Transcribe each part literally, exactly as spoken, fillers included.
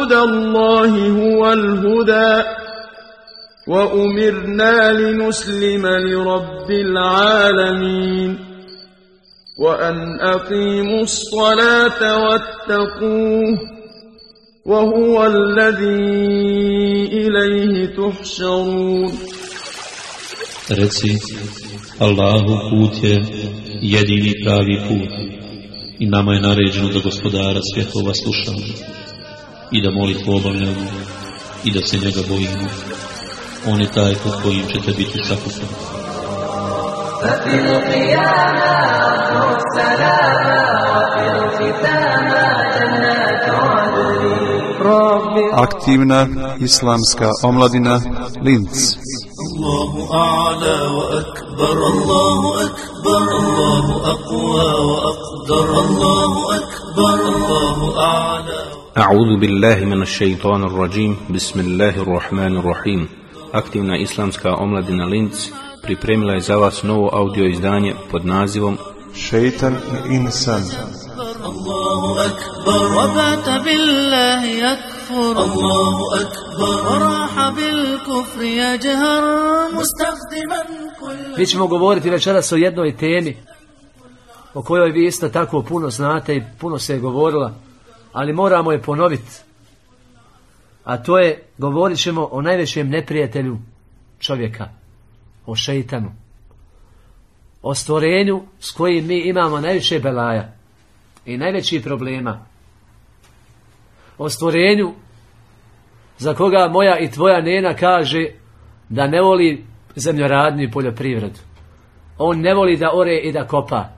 هدى الله هو الهدى وأمرنا لنسلم لرب العالمين وأن أقيموا الصلاة واتقوه وهو الذي إليه تحشرون. Reci, Allahu put je jedini pravi put i nama je naređeno da Gospodara svjetova slušamo i da molitvu obavljamo i da se njega bojimo. On je taj pod kojim ćete biti sakupani. Aktivna islamska omladina Linz. Allahu a'la wa akbar, Allahu akbar, Allahu aqwa wa aqdar, Allahu akbar, Allahu a'la. A'udhu billahi minash shaitanir rajim. Bismillahir rahmanir rahim. Aktivna islamska omladina Linz pripremila je za vas novo audio izdanje pod nazivom Šeitan i insan. Allahu akbar, wa bata billahi yakfur, Allahu akbar, wa raha bil kufri yajhar mustakhdiman kull. Mi ćemo govoriti večeras o jednoj temi o kojoj vi isto tako puno znate i puno se je govorila, ali moramo je ponoviti. A to je, govorit ćemo o najvećem neprijatelju čovjeka, o šeitanu, o stvorenju s kojim mi imamo najviše belaja i najveći problema, o stvorenju za koga moja i tvoja nena kaže da ne voli zemljoradnju i poljoprivredu. On ne voli da ore i da kopa.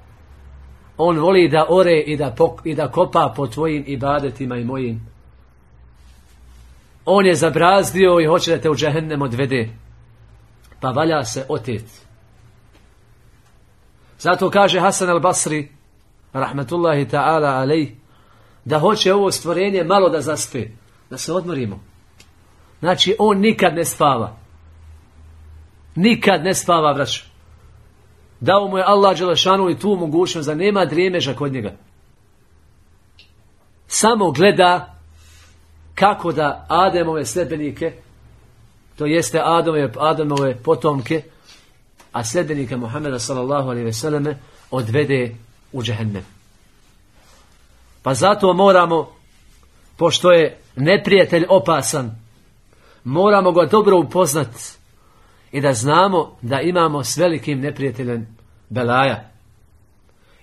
On voli da ore i da, pok, i da kopa po tvojim ibadetima i mojim. On je zabrazdio i hoće da te u džehennem odvede, pa valja se oteti. Zato kaže Hasan al-Basri rahmetullahi ta'ala alejh, da hoće ovo stvorenje malo da zaspe, da se odmorimo. Znači on nikad ne spava. Nikad ne spava, braćo. Dao mu je Allah dželešanu i tu mogućnost da nema drijemeža kod njega. Samo gleda kako da Ademove sledbenike, to jeste Ademove, Ademove potomke, a sledbenike Muhameda sallallahu alejhi ve selleme odvede u džehennem. Pa zato moramo, pošto je neprijatelj opasan, moramo ga dobro upoznati i da znamo da imamo s velikim neprijateljem belaja.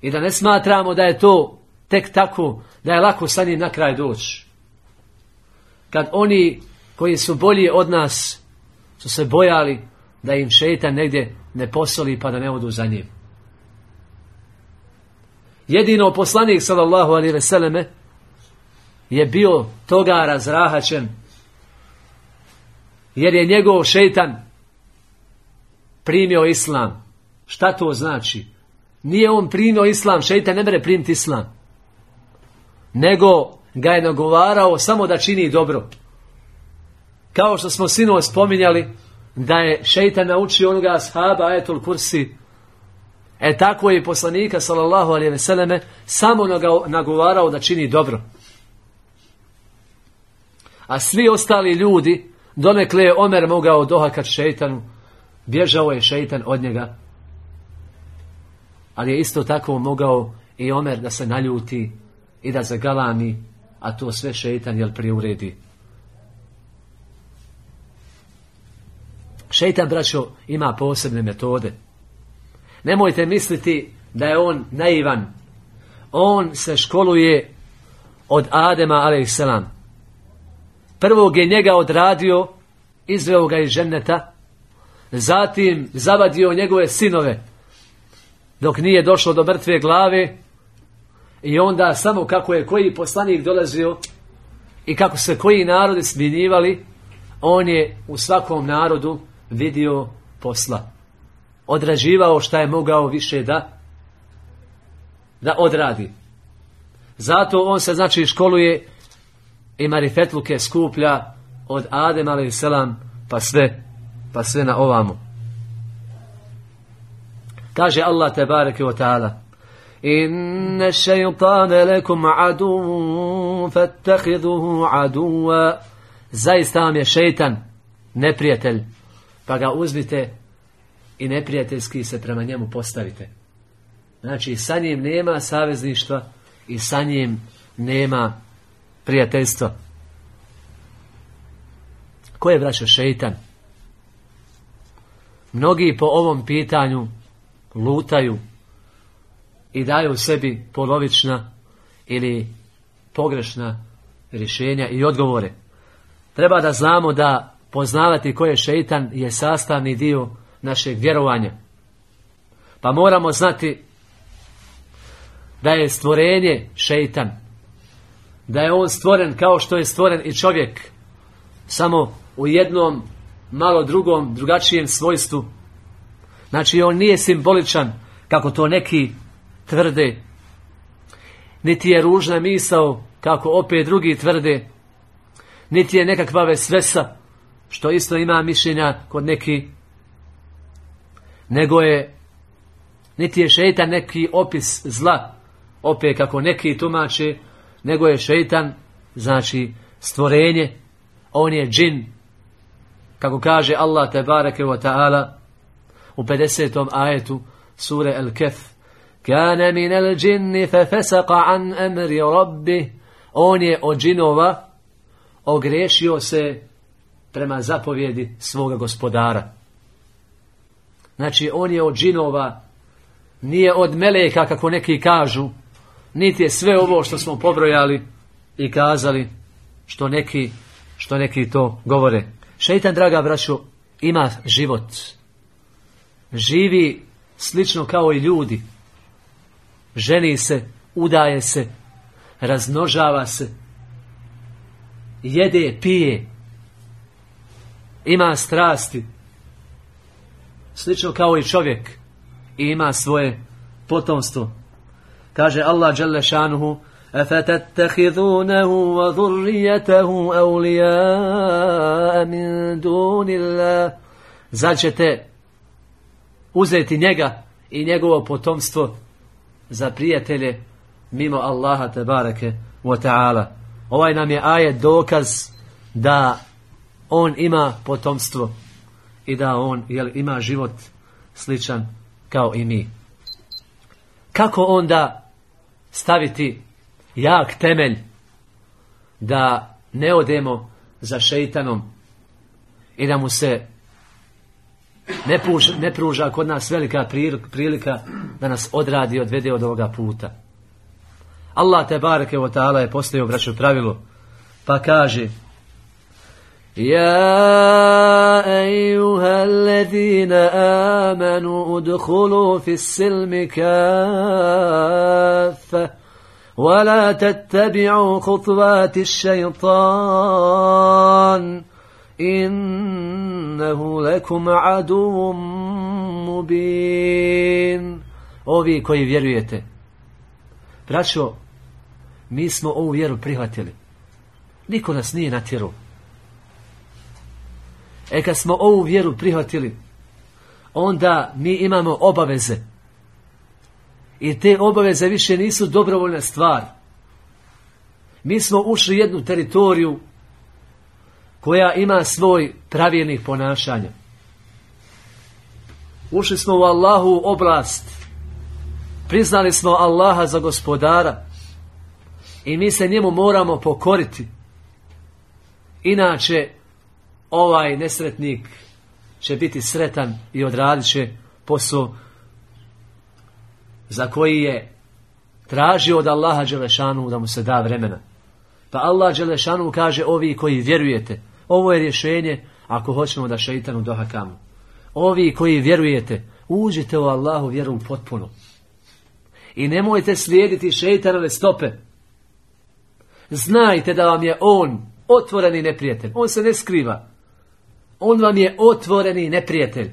I da ne smatramo da je to tek tako, da je lako sa njim na kraj doći. Kad oni koji su bolji od nas su se bojali da im šeitan negdje ne posoli pa da ne odu za njim. Jedino poslanik sallallahu alejhi ve selleme je bio toga razrahačen, jer je njegov šeitan primio islam. Šta to znači? Nije on primio islam, šeitan ne mere primiti islam, nego ga je nagovarao samo da čini dobro. Kao što smo sinoć spominjali da je šeitan naučio onoga ashaba ajetul kursi, e tako je i poslanika sallallahu alejhi ve selleme samo nagovarao da čini dobro. A svi ostali ljudi, donekle je Omer mogao dohakat šeitanu, bježao je šeitan od njega, ali je isto tako mogao i Omer da se naljuti i da zagalami, a to sve šeitan jel priuredi. Šeitan, braćo, ima posebne metode. Nemojte misliti da je on naivan. On se školuje od Adema alejselam. Prvog je njega odradio, izveo ga iz dženneta, zatim zavadio njegove sinove dok nije došlo do mrtve glave, i onda samo kako je koji poslanik dolazio i kako se koji narodi smjenjivali, on je u svakom narodu vidio posla, odrađivao šta je mogao više da da odradi. Zato on se znači školuje i marifetluke skuplja od Adem alejselam pa sve pa sve na ovamo. Kaže Allah tebareke ve taala: inna šeitane lekum adu fattahiduhu aduva, zaista vam je šeitan neprijatelj, pa ga uzmite i neprijateljski se prema njemu postavite. Znači sa njim nema savezništva i sa njim nema prijateljstva. Ko je, braćo, šeitan? Mnogi po ovom pitanju lutaju i daju sebi polovična ili pogrešna rješenja i odgovore. Treba da znamo da poznavati ko je šeitan je sastavni dio našeg vjerovanja. Pa moramo znati da je stvorenje šeitan, da je on stvoren kao što je stvoren i čovjek, samo u jednom malo drugom, drugačijem svojstvu. Znači on nije simboličan kako to neki tvrde, niti je ružna misao kako opet drugi tvrde, niti je nekakva vesvesa što isto ima mišljenja kod neki, nego je, niti je šeitan neki opis zla opet kako neki tumače, nego je šeitan znači stvorenje, on je džin, kako kaže Allah tebareke wa ta'ala u pedesetom ajetu sure Al-Kehf, kana min al-džinni fa fasaqa an amri rabbi, on je od džinova ogriješio se prema zapovjedi svoga gospodara. Znači on je od džinova, nije od meleka kako neki kažu, niti je sve ovo što smo pobrojali i kazali što neki, što neki to govore. Šeitan, draga braćo, ima život. Živi slično kao i ljudi. Ženi se, udaje se, razmnožava se, jede, pije, ima strasti, slično kao i čovjek, i ima svoje potomstvo. Kaže Allah dželle šanuhu: "Afatattakhidunahu wa dhurriyyatahu awliya'a min dunillah." Zar ćete uzeti njega i njegovo potomstvo za prijatelje mimo Allaha tebareke wa ta'ala. Ovaj nam je ajet dokaz da on ima potomstvo i da on jel, ima život sličan kao i mi. Kako onda staviti jak temelj da ne odemo za šeitanom i da mu se ne pruža, ne pruža kod nas velika prilika da nas odradi i odvede od ovoga puta? Allah tebareke wa ta'ala je postavio, braćo, pravilo, pa kaže: Ja ejuha alladhina amanu udkhulu fis silmi kaffa wa la tattabi'u khutvati ash-shaytan innahu lakum aduwwun mubin. Ovi koji vjerujete, braćo, mi smo ovu vjeru prihvatili. Niko nas nije natjerao. E kad smo ovu vjeru prihvatili, onda mi imamo obaveze. I te obaveze više nisu dobrovoljna stvar. Mi smo ušli u jednu teritoriju koja ima svoj pravilnih ponašanja. Ušli smo u Allahu oblast. Priznali smo Allaha za gospodara. I mi se njemu moramo pokoriti. Inače, ovaj nesretnik će biti sretan i odradit će posao za koji je tražio od Allaha dželešanu da mu se da vremena. Pa Allah dželešanu kaže: ovi koji vjerujete, ovo je rješenje ako hoćemo da šeitanu dohakamo. Ovi koji vjerujete, uđite u Allahu vjeru potpuno. I nemojte slijediti šeitanove stope. Znajte da vam je on otvoreni neprijatelj. On se ne skriva. On vam je otvoreni neprijatelj.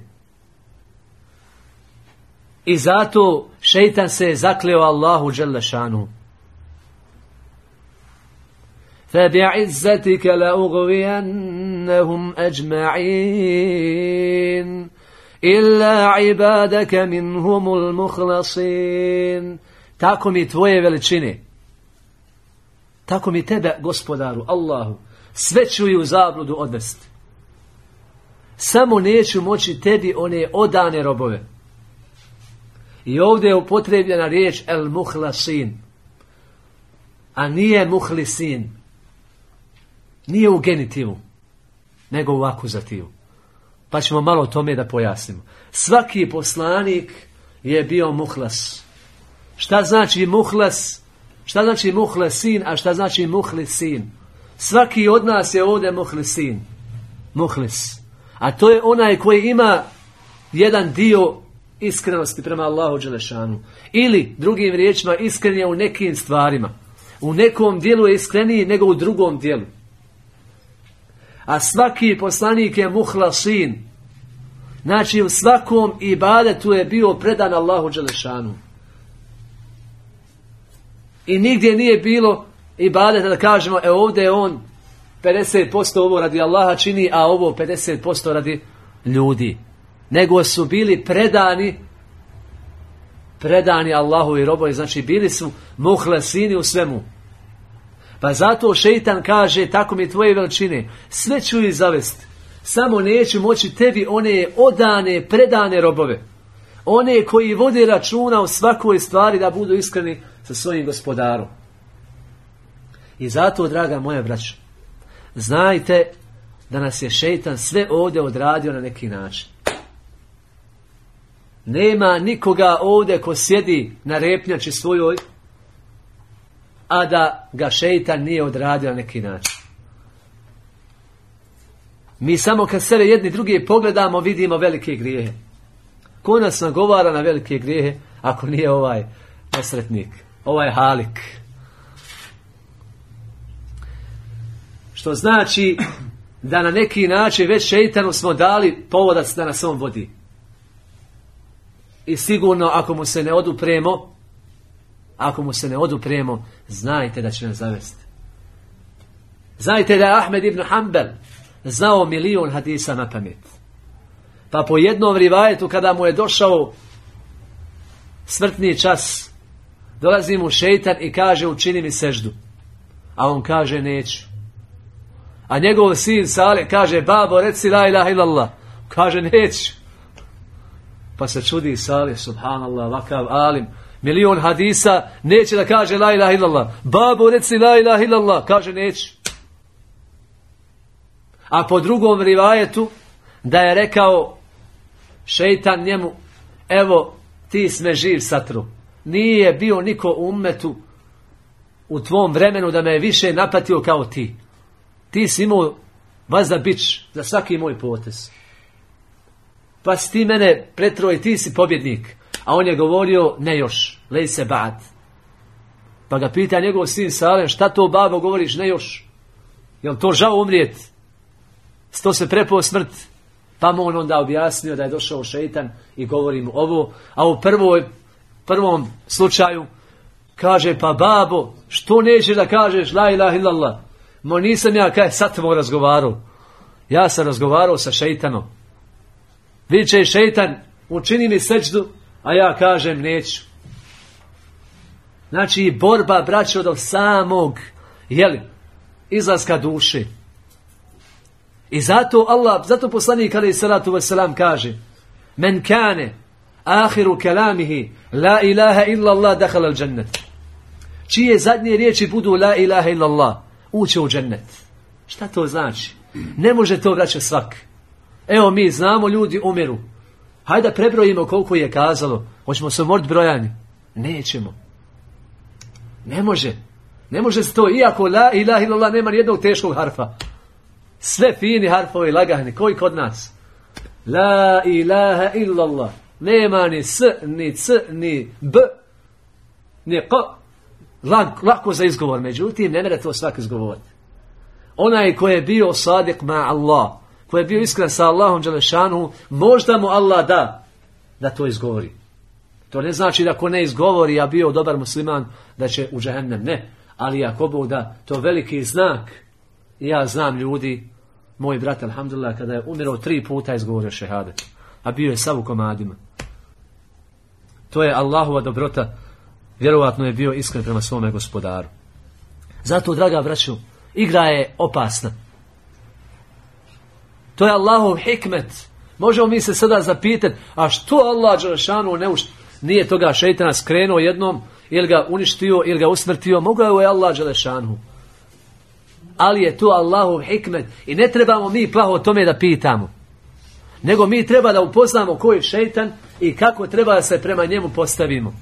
I zato šeitan se je zakleo Allahu dželle šanuhu. فَبِعِزَّتِكَ لَأُغْوِيَنَّهُمْ أَجْمَعِينَ إِلَّا عِبَادَكَ مِنْهُمُ الْمُخْلَصِينَ. tako mi tvoje veličine, tako mi tebe, gospodaru, Allahu, sve ću i u zabludu odvesti. Samo neću moći tebi one odane robove. I ovdje je upotrebljena riječ el muhlasin, a nije muhlisin. Nije u genitivu, nego u akuzativu. Pa ćemo malo o tome da pojasnimo. Svaki poslanik je bio muhlas. Šta znači muhlas? Šta znači muhlasin, a šta znači muhlisin? Svaki od nas je ovdje muhlisin. Muhlis. A to je onaj koji ima jedan dio iskrenosti prema Allahu dželešanu. Ili, drugim riječima, iskren je u nekim stvarima. U nekom dijelu je iskreniji nego u drugom dijelu. A svaki poslanik je muhlasin. Znači u svakom ibadetu je bio predan Allahu dželešanu. I nigdje nije bilo ibadeta da kažemo, e ovdje je on pedeset posto ovo radi Allaha čini, a ovo pedeset posto radi ljudi. Nego su bili predani predani Allahu i robovi, znači bili su muhlasini u svemu. Pa zato šeitan kaže, tako mi tvoje veličine, sve ću ih zavesti, samo neću moći tebi one odane, predane robove, one koji vode računa u svakoj stvari da budu iskreni sa svojim gospodarom. I zato, draga moja braćo, znajte da nas je šeitan sve ovdje odradio na neki način. Nema nikoga ovdje ko sjedi na repnjači svojoj, a da ga šeitan nije odradio na neki način. Mi samo kad sebe jedni drugi pogledamo, vidimo velike grijehe. Ko nas nagovara na velike grijehe, ako nije ovaj nesretnik, ovaj halik? Što znači da na neki način već šeitanu smo dali povodac da nas on vodi. I sigurno ako mu se ne odupremo, ako mu se ne odupremo, znajte da će nas zavesti. Znajte da je Ahmed ibn Hanbel znao milion hadisa na pamet. Pa po jednom rivajetu kada mu je došao smrtni čas, dolazi mu šeitan i kaže učini mi seždu. A on kaže neću. A njegov sin Salih kaže babo reci la ilaha illallah. Kaže neću. Pa se čudi Salih, subhanallah, vakav alim, milion hadisa, neće da kaže la ilaha illallah. Babo reci la ilaha illallah. Kaže neću. A po drugom rivajetu da je rekao šeitan njemu, evo ti sme živ satru. Nije bio niko u ummetu u tvom vremenu da me je više napatio kao ti. Ti si imao vazda bić za svaki moj potez. Pa si ti mene pretro i ti si pobjednik. A on je govorio ne još, lej se bad. Pa ga pita njegov sin Salem, šta to babo govoriš ne još? Jel to žao umrijeti? Sto se prepao smrt. Pa mu on onda objasnio da je došao šeitan i govori mu ovo. A u prvoj, prvom slučaju kaže pa babo, što nećeš da kažeš la ilaha illallah? Mo nisam ja kaj sad tamo razgovarao. Ja sam razgovarao sa šeitanom. Viče šeitan, učini mi sećdu, a ja kažem neću. Znači borba, braćo, do samog, jeli, izlaska duše. I zato Allah, zato poslanik alejhi salatu vesselam kaže: "Men kane ahiru kalamihi la ilaha illa Allah dakhala al-jannah." Čije zadnje riječi budu la ilaha illa Allah, uće u džennet. Šta to znači? Ne može to vraća svak. Evo mi znamo, ljudi umiru. Hajde da prebrojimo koliko je kazalo. Hoćemo se umoriti brojani? Nećemo. Ne može. Ne može se to, iako la ilaha illallah nema ni jednog teškog harfa. Sve fini harfovi lagani, koji kod nas? La ilaha illallah. Nema ni s, ni c, ni b, ni k. Lak, lako za izgovor, međutim, ne mere to svak izgovoriti. Onaj koji je bio sadiq ma Allah, koji je bio iskren sa Allahom dželešanu, možda mu Allah da, da to izgovori. To ne znači da ko ne izgovori, a bio dobar musliman, da će u džehennem, ne. Ali ako Bog da, to veliki znak. I ja znam ljudi, moj brat, alhamdulillah, kada je umirao tri puta izgovorio šehadet, a bio je sav u komadima. To je Allahova dobrota vjerovatno je bio iskren prema svome gospodaru. Zato, draga braćo, igra je opasna. To je Allahov hikmet. Možemo mi se sada zapitati, a što Allah dželešanu ne ušt, nije toga šejtana skrenuo jednom, ili ga uništio, ili ga usmrtio, mogao je Allah dželešanu. Ali je to Allahov hikmet i ne trebamo mi plaho o tome da pitamo. Nego mi treba da upoznamo ko je šejtan i kako treba da se prema njemu postavimo.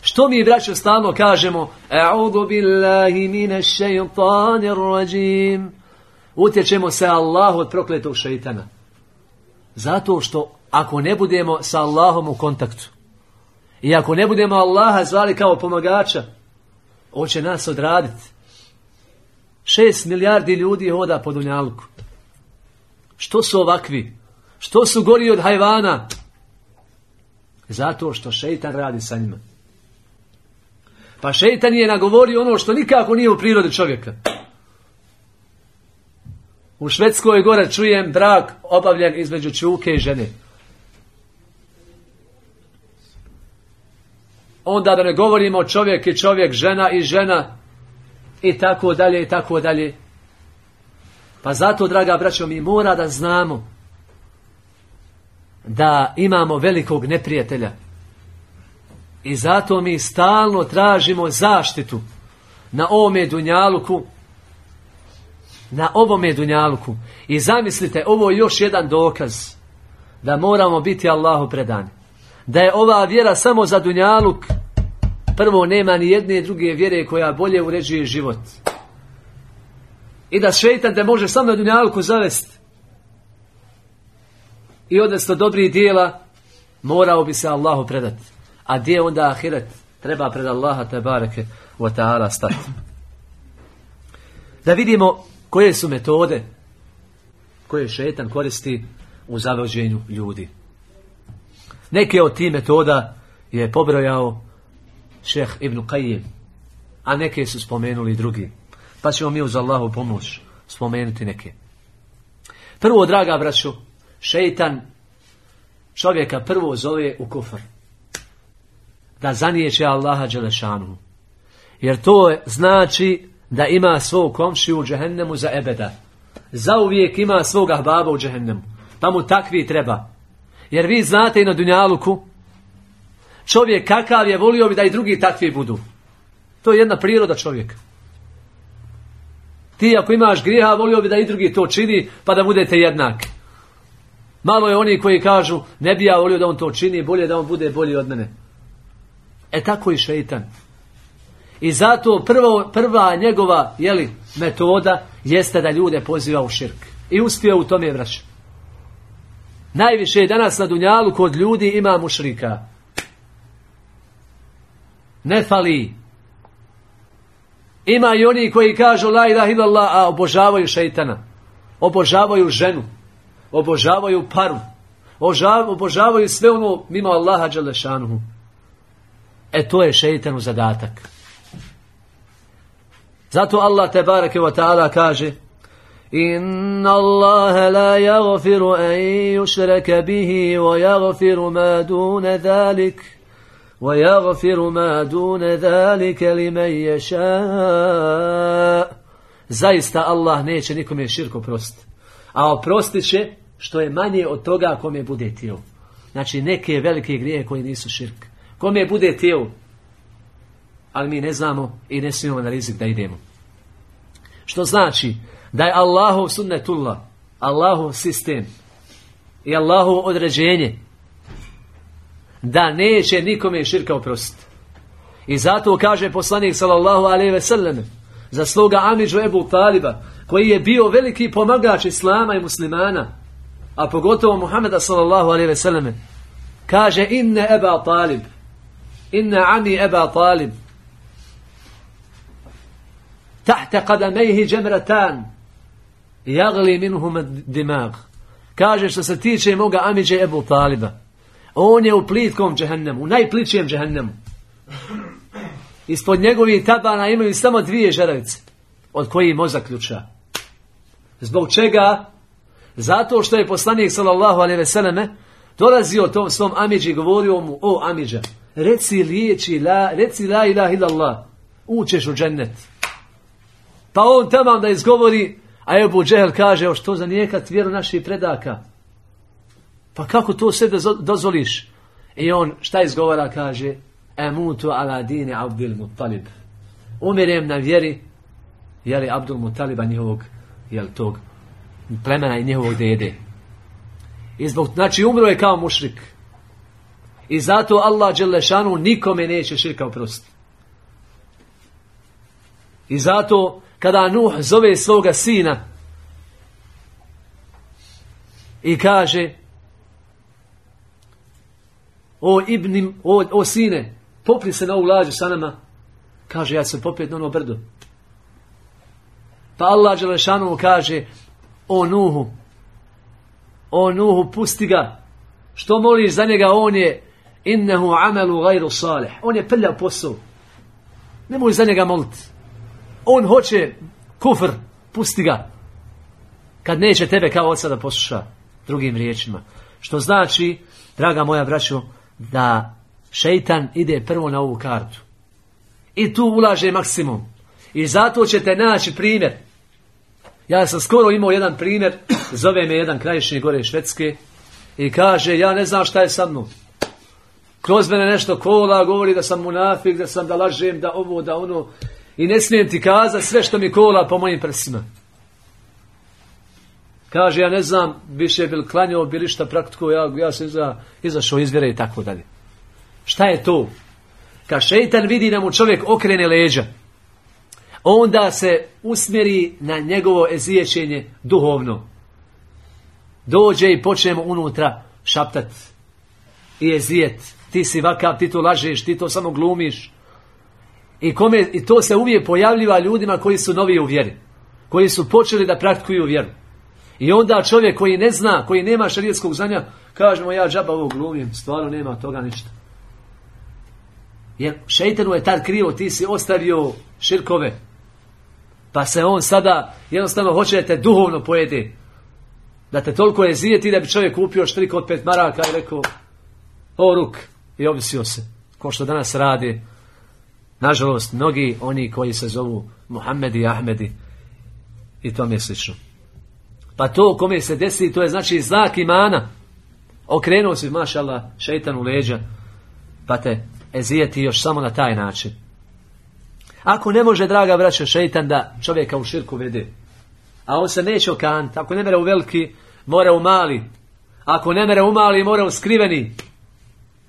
Što mi, braćo, stalno kažemo A'udhu billahi minash shaytanir rajim. Utječemo se Allahu od prokletog šejtana. Zato što ako ne budemo sa Allahom u kontaktu i ako ne budemo Allaha zvali kao pomagača, on će nas odraditi. Šest milijardi ljudi hoda po dunjaluku. Što su ovakvi? Što su gori od hajvana? Zato što šejtan radi sa njima. Pa šejtan je nagovorio ono što nikako nije u prirodi čovjeka. U Švedskoj gore čujem brak obavljen između čuke i žene. Onda da ne govorimo čovjek i čovjek, žena i žena i tako dalje i tako dalje. Pa zato, draga braćo, mi mora da znamo da imamo velikog neprijatelja. I zato mi stalno tražimo zaštitu na ovome dunjaluku, na ovome dunjaluku. I zamislite, ovo je još jedan dokaz da moramo biti Allahu predani. Da je ova vjera samo za dunjaluk. Prvo, nema ni jedne druge vjere koja bolje uređuje život. I da šejtan te može samo na dunjaluku zavesti i odnosno dobrih dijela, morao bi se Allahu predati. A gdje onda ahiret? Treba pred Allaha tebareke wa ta'ala stati. Da vidimo koje su metode koje šejtan koristi u zavođenju ljudi. Neke od tih metoda je pobrojao šejh Ibn Qajim, a neke su spomenuli drugi. Pa ćemo mi uz Allahu pomoć spomenuti neke. Prvo, draga braćo, šejtan čovjeka prvo zove u kufr. Da zanijeće Allaha dželešanu. Jer to znači da ima svog komšiju u džehennemu za ebeda. Zauvijek ima svog ahbaba u džehennemu. Pa mu takvi treba. Jer vi znate i na dunjaluku, čovjek kakav je, volio bi da i drugi takvi budu. To je jedna priroda čovjeka. Ti ako imaš grijeha, volio bi da i drugi to čini, pa da budete jednaki. Malo je oni koji kažu, ne bi ja volio da on to čini, bolje da on bude bolji od mene. E tako i šejtan. I zato prvo, prva njegova jeli, metoda jeste da ljude poziva u širk. I uspio u tome, braćo. Najviše danas na dunjalu kod ljudi ima mušrika. Ne fali. Ima i oni koji kažu la ilaha illallah, a obožavaju šejtana. Obožavaju ženu. Obožavaju paru. Obožavaju sve ono mimo Allaha dželešanuhu. E to je šejtanu zadatak. Zato Allah tebareke wa ta'ala kaže: Inna Allaha la yaghfiru an yushraka bihi wa yaghfiru ma duna zalik wa yaghfiru ma duna zalika liman yasha. Zaista Allah neće nikome širk oprostiti, a oprostit će što je manje od toga kome bude htio. Znači neke velike grijehe koji nisu širk. Kome bude htio, ali mi ne znamo i ne smijemo na rizik da idemo. Što znači da je Allahov sunnetullah, Allahov sistem i Allahov određenje da neće nikome širka oprostiti. I zato kaže poslanik sallallahu alejhi ve sellem za svoga amidžu Ebu Taliba, koji je bio veliki pomagač islama i muslimana, a pogotovo Muhameda sallallahu alejhi ve sellem, kaže: inne Eba Talib, inne ami Eba Talib, tahta qadamejhi džemratan, jagli minhum dimag. Kaže, što se tiče moga amidže Ebu Taliba, on je u plitkom džehennemu, u najpličijem džehennemu. Ispod njegovih tabana imaju samo dvije žeravice, od kojih mozak ključa. Zbog čega? Zato što je poslanik sallallahu alejhi ve selleme dolazio tom svom amidži i govorio mu, o amidža, reci riječi, la, reci la ilaha illallah, ućeš u džennet. Pa on tamo da izgovori, a Ebu Džehel kaže, o što zanijekat vjeru naših predaka? Pa kako to sve dozvoliš? I on šta izgovara, kaže, emutu ala dini Abdul Muttalib. Umirem na vjeri, jeli Abdul Muttaliba njihovog, jel tog plemena i njihovog dede. I zbog, znači umro je kao mušrik. I zato Allah dželešanu nikome neće širka oprostiti. I zato kada Nuh zove svoga sina i kaže, o ibnim, o, o sine, popri se na ovu lađu sa nama, kaže, ja se popet na ono brdo. Pa Allah dželešanu kaže, o Nuhu, o Nuhu, pusti ga, što moliš za njega, on je innehu amelu gajru salih, on je prljav posao, nemoj za njega moliti. On hoće kufr, pusti ga. Kad neće tebe kao oca da posluša, drugim riječima. Što znači, draga moja braćo, da šeitan ide prvo na ovu kartu. I tu ulaže maksimum. I zato ćete naći primjer. Ja sam skoro imao jedan primjer, zove me jedan krajišnji gore Švedske i kaže, ja ne znam šta je sa mnom. Kroz mene nešto kola, govori da sam munafik, da sam da lažem, da ovo, da ono. I ne smijem ti kazati sve što mi kola po mojim prsima. Kaže, ja ne znam, više bil klanjao, bili šta praktiko, ja, ja sam iza, izašao iz vjere i tako dalje. Šta je to? Kad šeitan vidi da mu čovjek okrene leđa, onda se usmjeri na njegovo eziječenje duhovno. Dođe i počne mu unutra šaptat i ezijet. Ti si vakav, ti to lažeš, ti to samo glumiš. I, kome, I to se uvijek pojavljiva ljudima koji su novi u vjeri. Koji su počeli da praktikuju vjeru. I onda čovjek koji ne zna, koji nema šerijatskog znanja, kažemo, ja džaba ovo glumim, stvarno nema toga ništa. Jer šeitanu je tad krivo, ti si ostavio širkove. Pa se on sada jednostavno hoće da te duhovno pojede. Da te toliko je zijeti da bi čovjek kupio štrik od pet maraka i rekao, o ruk, i obvisio se. Ko što danas radi, nažalost, mnogi oni koji se zovu Muhammedi i Ahmedi i tome slično. Pa to kome se desi, to je znači znak imana. Okrenuo si, mašallah, šeitan u leđa, pa te ezijeti još samo na taj način. Ako ne može, draga braćo, šeitan da čovjeka u širku vede, a on se neće okanti, ako ne mere u veliki, mora u mali, ako ne mere u mali, mora u skriveni.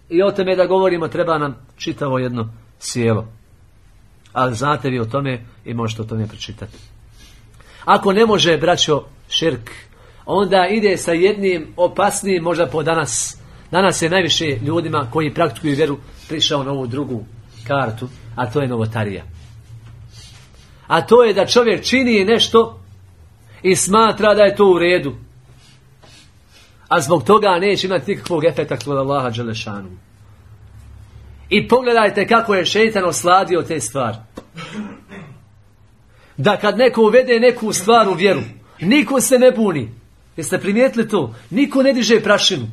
I o tome da govorimo, treba nam čitavo jedno sjelo. Ali znate vi o tome i možete o tome pročitati. Ako ne može, braćo, širk, onda ide sa jednim opasnijim, možda po danas. Danas je najviše ljudima koji praktikuju vjeru prišao na ovu drugu kartu, a to je novotarija. A to je da čovjek čini nešto i smatra da je to u redu. A zbog toga neće imati nikakvog efekta kod Allaha dželešanu. I pogledajte kako je šeitan osladio te stvari. Da kad neko uvede neku stvar u vjeru, niko se ne buni. Jeste primijetili to? Niko ne diže prašinu.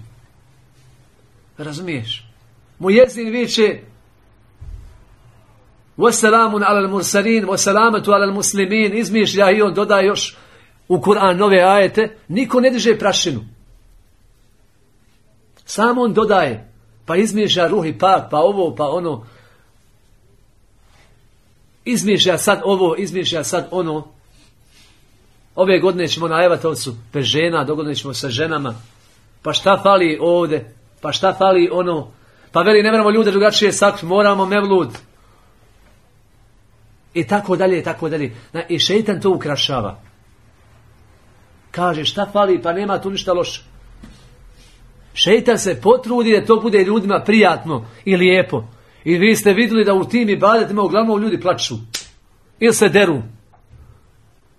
Razumiješ? Mujezin viče Wasalamun alal mursalin, wasalamatu alal muslimin, izmišlja i on dodaje još u Kur'an nove ajete. Niko ne diže prašinu. Samo on dodaje. Pa izmišlja ruhi pak, pa ovo, pa ono. Izmišlja sad ovo, izmišlja sad ono. Ove godine ćemo na Evatovcu bez žena, dogodine ćemo sa ženama. Pa šta fali ovdje? Pa šta fali ono? Pa veli, ne moramo ljude drugačije sakriti, moramo mevlud. I tako dalje, i tako dalje. I šeitan to ukrašava. Kaže, šta fali? Pa nema tu ništa loše. Šeitan se potrudi da to bude ljudima prijatno i lijepo. I vi ste vidjeli da u tim ibadetima uglavnom ljudi plaču. Ili se deru.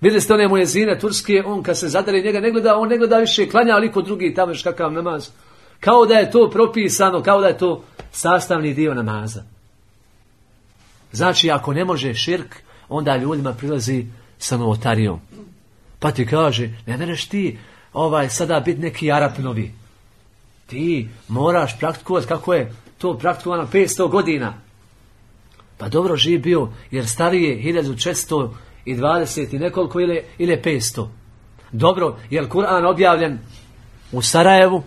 Vidjeli ste one mujezine turske, on kad se zadari njega ne gleda, on ne gleda više klanja, ali kod drugi tamo još kakav namaz. Kao da je to propisano, kao da je to sastavni dio namaza. Znači, ako ne može širk, onda ljudima prilazi sa novotarijom. Pa ti kaže, ne mereš ti ovaj, sada biti neki Arap novi. Ti moraš praktikovati kako je to praktikovano petsto godina. Pa dobro živ bio, jer starije hiljadu četiristo dvadeset i nekoliko ili, ili petsto. Dobro, je li Kur'an objavljen u Sarajevu?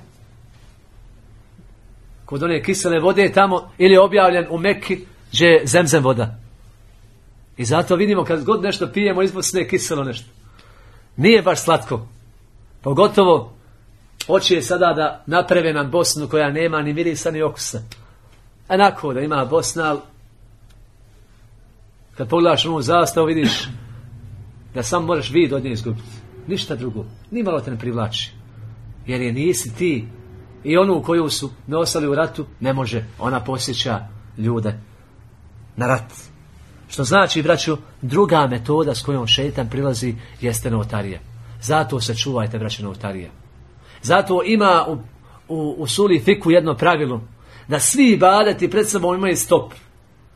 Kod one kisele vode tamo, ili je objavljen u Mekki, gdje je zemzem voda. I zato vidimo kad god nešto pijemo izbosne kiselo nešto. Nije baš slatko. Pogotovo hoće je sada da naprave nam Bosnu koja nema ni mirisa ni okusa. Enako da ima Bosna, ali kad pogledaš ovu zastavu vidiš da sam možeš vid od nje izgubiti. Ništa drugo. Nimalo te ne privlači. Jer je nisi ti. I onu koju su nosili u ratu ne može. Ona posjeća ljude na rat. Što znači, braćo, druga metoda s kojom šejtan prilazi jeste novotarija. Zato se čuvajte, braćo, novotarija. Zato ima u, u, u suli fiku jedno pravilo. Da svi ibadeti pred sobom imaju stop.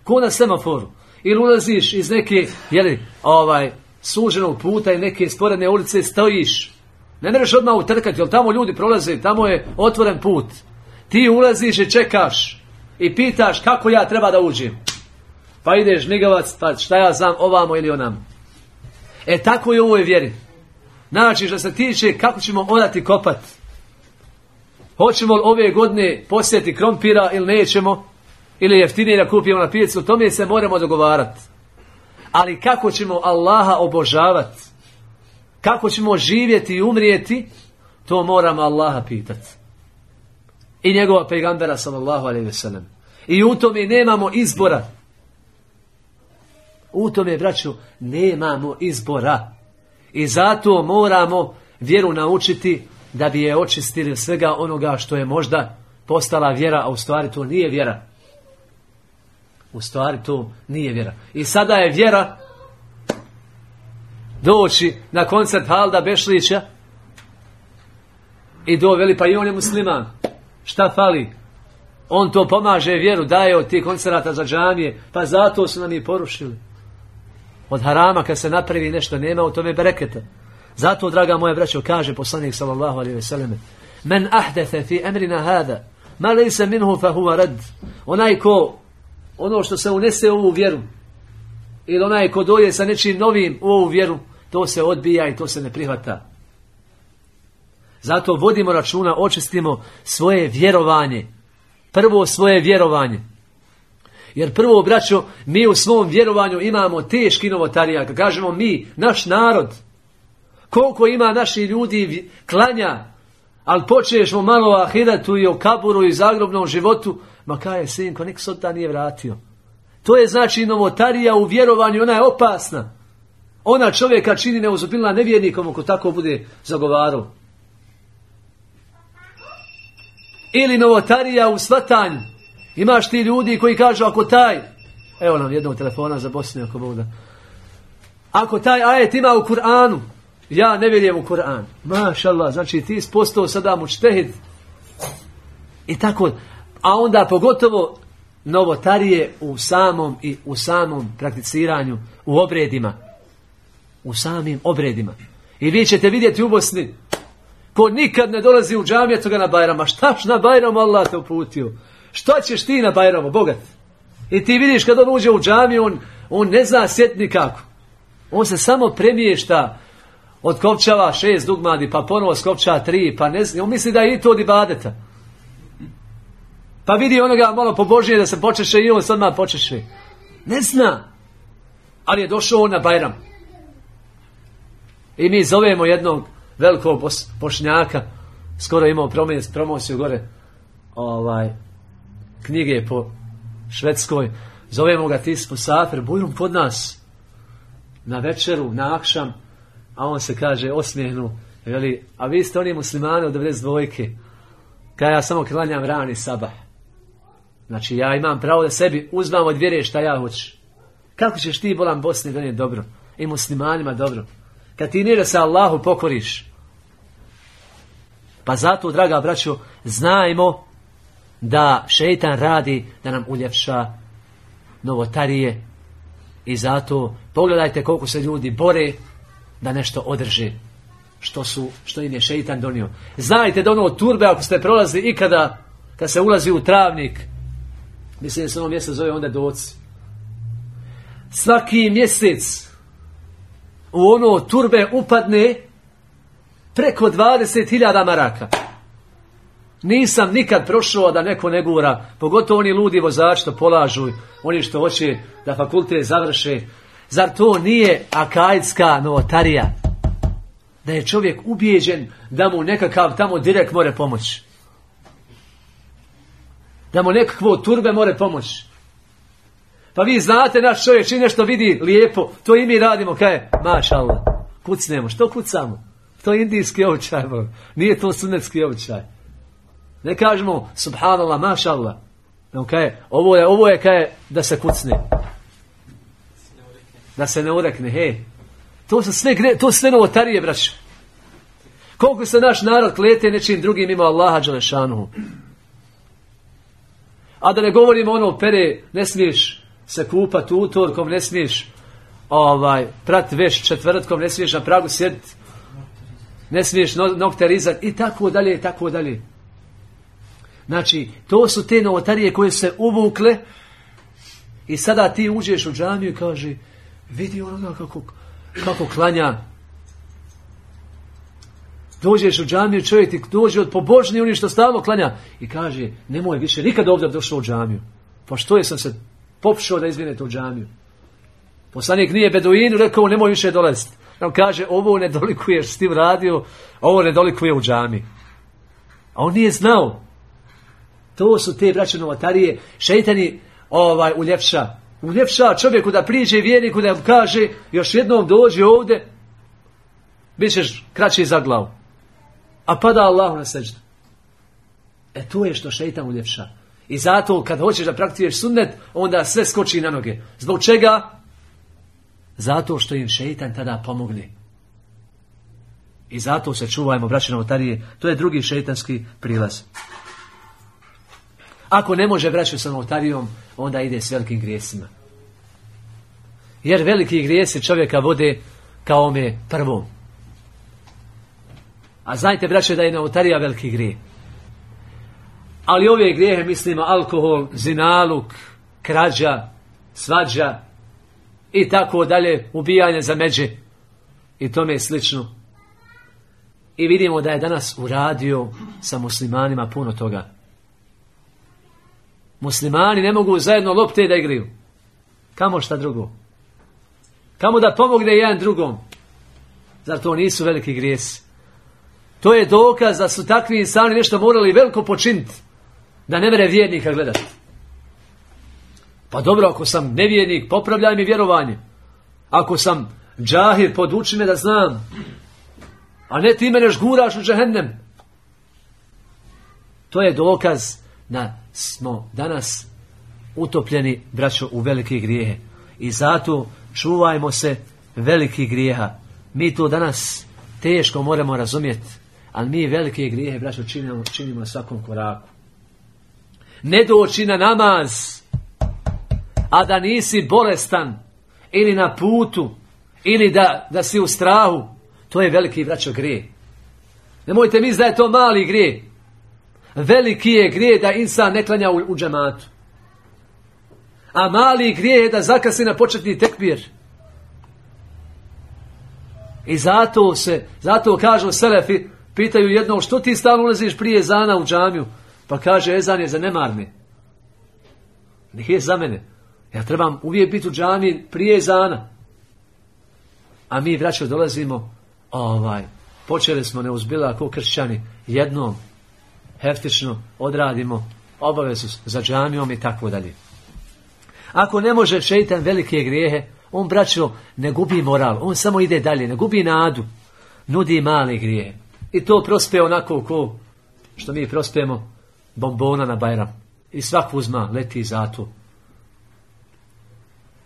Ko na semaforu. Ili ulaziš iz neke, jeli, ovaj, suženog puta i neke sporedne ulice stojiš. Ne možeš odmah utrkati, jer tamo ljudi prolaze, tamo je otvoren put. Ti ulaziš i čekaš i pitaš kako ja treba da uđem. Pa ideš nigavac, pa šta ja znam ovamo ili onamo. E tako je u ovoj vjeri. Znači što se tiče kako ćemo odati kopat. Hoćemo li ove godine posjeti krompira ili nećemo, ili jeftinije da kupimo na pijacu, o tome se moramo dogovarati. Ali kako ćemo Allaha obožavati, kako ćemo živjeti i umrijeti, to moramo Allaha pitati. I njegova pejgambera sallallahu alejhi ve sellem. I u tome nemamo izbora. U tome, braćo, nemamo izbora. I zato moramo vjeru naučiti da bi je očistili svega onoga što je možda postala vjera, a u stvari to nije vjera. U stvari to nije vjera. I sada je vjera doći na koncert Halda Bešlića i doveli, pa i on je musliman. Šta fali? On to pomaže vjeru, daje od tih koncerata za džamije, pa zato su nam i porušili. Od harama kad se napravi nešto nema u tome bereketa. Zato, draga moja braćo, kaže poslanik sallallahu alejhi ve sellem: "Men ahdatha fi amrina hada ma laysa minhu fa huwa rad." Onaj ko ono što se unese u ovu vjeru, ili onaj ko doje sa nečim novim u ovu vjeru, to se odbija i to se ne prihvata. Zato vodimo računa, očistimo svoje vjerovanje. Prvo svoje vjerovanje. Jer prvo, braćo, mi u svom vjerovanju imamo teški novotarija. Kad kažemo mi, naš narod, koliko ima naši ljudi klanja, ali počnemo malo o ahiretu i o kaburu i zagrobnom životu, ma kaj je sinko, nek se od ta nije vratio. To je znači novotarija u vjerovanju, ona je opasna. Ona čovjeka čini neuzupilna nevjernikom ako tako bude zagovarao. Ili novotarija u svatanju. Imaš ti ljudi koji kažu ako taj, evo nam jednog telefona za Bosnu ako Bog da. Ako taj ajet ima u Kur'anu, ja ne vjerujem u Kur'an. Mašallah, znači ti postao sada mučtehid. I tako, a onda pogotovo novotarije u samom i u samom prakticiranju, u obredima. U samim obredima. I vi ćete vidjeti u Bosni, ko nikad ne dolazi u džamiju toga na Bajrama. Štaš na Bajramu, Allah te uputio. Šta ćeš ti na Bajramu, bogat? I ti vidiš kad on uđe u džamiju, on, on ne zna sjet nikako. On se samo premiješta, otkopčava šest dugmadi, pa ponovo skopčava tri, pa ne zna. On misli da je i to od ibadeta. Pa vidi onoga malo pobožnije da se počeše i on sad malo počeše. Ne zna. Ali je došao on na Bajram. I mi zovemo jednog velikog Bošnjaka, skoro imao promociju gore, ovaj, knjige po Švedskoj, zovemo ga ti Musafir, bujrum kod nas, na večeru, na akšam, a on se kaže, osmijehnu, veli, a vi ste oni muslimani od devedeset dvojke, kada ja samo klanjam rani sabah. Znači, ja imam pravo da sebi uzmam od vjere šta ja hoću. Kako ćeš ti, bolan Bosni, donijeti dobro? I muslimanima dobro. Kad ti nije da se Allahu pokoriš. Pa zato, draga braćo, znajmo da šejtan radi da nam uljepša novotarije. I zato pogledajte koliko se ljudi bore da nešto održe. što, su, što im je šeitan donio. Znajte da ono od turbe, ako ste prolazili ikada, kad se ulazi u travnik, mislim da se ono mjesto zove onda Doci, svaki mjesec u ono turbe upadne preko dvadeset hiljada maraka. Nisam nikad prošao da neko ne gura, pogotovo oni ludi vozači što polažu, oni što hoće da fakultet završe. Zar to nije akaidska novotarija? Da je čovjek ubijeđen da mu nekakav tamo direkt more pomoći. Da mu nekakvo turbe more pomoći. Pa vi znate, naš čovjek čini nešto vidi lijepo, to i mi radimo, kaj, maša Allah, kucnemo, što kucamo? To je indijski običaj, nije to sunnetski običaj. Ne kažemo, subhanallah, maša Allah, kaj, ovo je, ovo je kaj, da se kucne. Da se ne urekne, hej. To su sve, to su sve novotarije, braćo. Koliko se naš narod klete nečim drugim ima Allaha dželešanuhu. A da ne govorimo ono pere, ne smiješ se kupati utorkom, ne smiješ ovaj, prati veš četvrtkom, ne smiješ na pragu sjediti, ne smiješ nokte rizati i tako dalje i tako dalje. Znači, to su te novotarije koje se uvukle i sada ti uđeš u džamiju i kaže, vidi onoga kako, kako klanja. Dođeš u džamiju, čovjek ti dođe od pobožni, oni što stalno klanja i kaže, nemoj više nikad ovdje došao u džamiju. Pa što je sam se popšao da izvinete u džamiju? Poslanik nije beduinu rekao, nemoj više dolaziti. On kaže, ovo ne dolikuješ s tim radio, ovo ne dolikuje u džamiji. A on nije znao. To su te braće novotarije. Šejtani ovaj, uljepša. Uljepša čovjeku da priđe vjerniku da mu kaže, još jednom dođi ovdje, bit ćeš kraći za glavu. A pada Allahu na seždu. E to je što šejtan uljepša. I zato kad hoćeš da praktikuješ sunnet, onda sve skoči na noge. Zbog čega? Zato što im šejtan tada pomogne. I zato se čuvajmo, braće novotarije. To je drugi šejtanski prilaz. Ako ne može braću sa novotarijom, onda ide s velikim grijesima. Jer veliki grijesi čovjeka vode kao ome prvom. A znajte, braće, da je novotarija veliki grije. Ali ove grijehe mislimo alkohol, zinaluk, krađa, svađa i tako dalje, ubijanje za međe i tome slično. I vidimo da je danas uradio sa muslimanima puno toga. Muslimani ne mogu zajedno lopte da igraju. Kamo šta drugo? Kamo da pomogne jedan drugom? Zar to nisu veliki grijesi? To je dokaz da su takvi insani nešto morali veliko počiniti. Da ne mere vjernika gledati. Pa dobro, ako sam nevjernik, popravljaj mi vjerovanje. Ako sam džahir, poduči me da znam. A ne ti mene žguraš u džehennem. To je dokaz da smo danas utopljeni, braćo, u velike grijehe. I zato čuvajmo se velikih grijeha. Mi to danas teško moramo razumjeti. Ali mi velike grijehe, braćo, činimo, činimo na svakom koraku. Ne doći na namaz, a da nisi bolestan, ili na putu, ili da, da si u strahu, to je veliki, braćo, grije. Nemojte misliti da je to mali grije. Veliki je grije da insan ne klanja u, u džematu. A mali grije je da zakasni na početni tekbir. I zato se, zato kažu selefi, pitaju jednom, što ti stalno ulaziš prije ezana u džamiju? Pa kaže, ezan je za nemarne. Nije za mene. Ja trebam uvijek biti u džamiji prije ezana. A mi, braćo, dolazimo, ovaj, počeli smo neuzbila ako kršćani, jednom, heftično odradimo obavezu za džamijom i tako dalje. Ako ne može šejtan velike grijehe, on, braćo, ne gubi moral, on samo ide dalje, ne gubi nadu, nudi male grijehe. I to prospe onako ko što mi prospemo bombona na Bajram. I svak uzma, leti zato.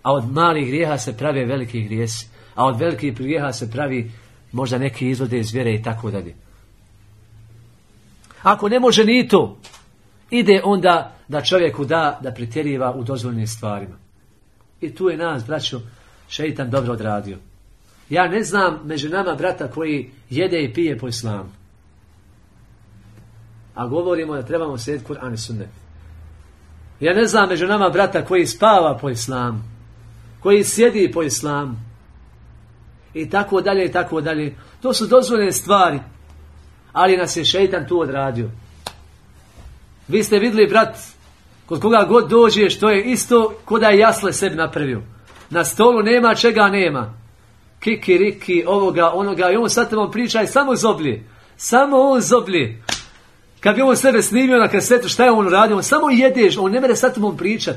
A od malih grijeha se prave veliki grijesi. A od velikih grijeha se pravi možda neki izvode iz vjere i tako dalje. Ako ne može ni to, ide onda da čovjeku da da pretjeriva u dozvoljenim stvarima. I tu je nas, braćo, šeitan dobro odradio. Ja ne znam među nama brata koji jede i pije po islamu. A govorimo da trebamo slijediti Kur'an i sunnet. Ja ne znam među nama brata koji spava po islamu, koji sjedi po islamu. I tako dalje i tako dalje. To su dozvoljene stvari. Ali nas je šeitan tu odradio. Vi ste vidjeli, brat, kod koga god dođeš, to je isto ko da je jasle sebi napravio. Na stolu nema čega nema. Kiki, riki, ovoga, onoga. I on sad vam priča i samo zoblje. Samo on zoblje. Kad bi on sebe snimio na kasetu, šta je on uradio? On samo jedeš, on ne mere sad vam pričat.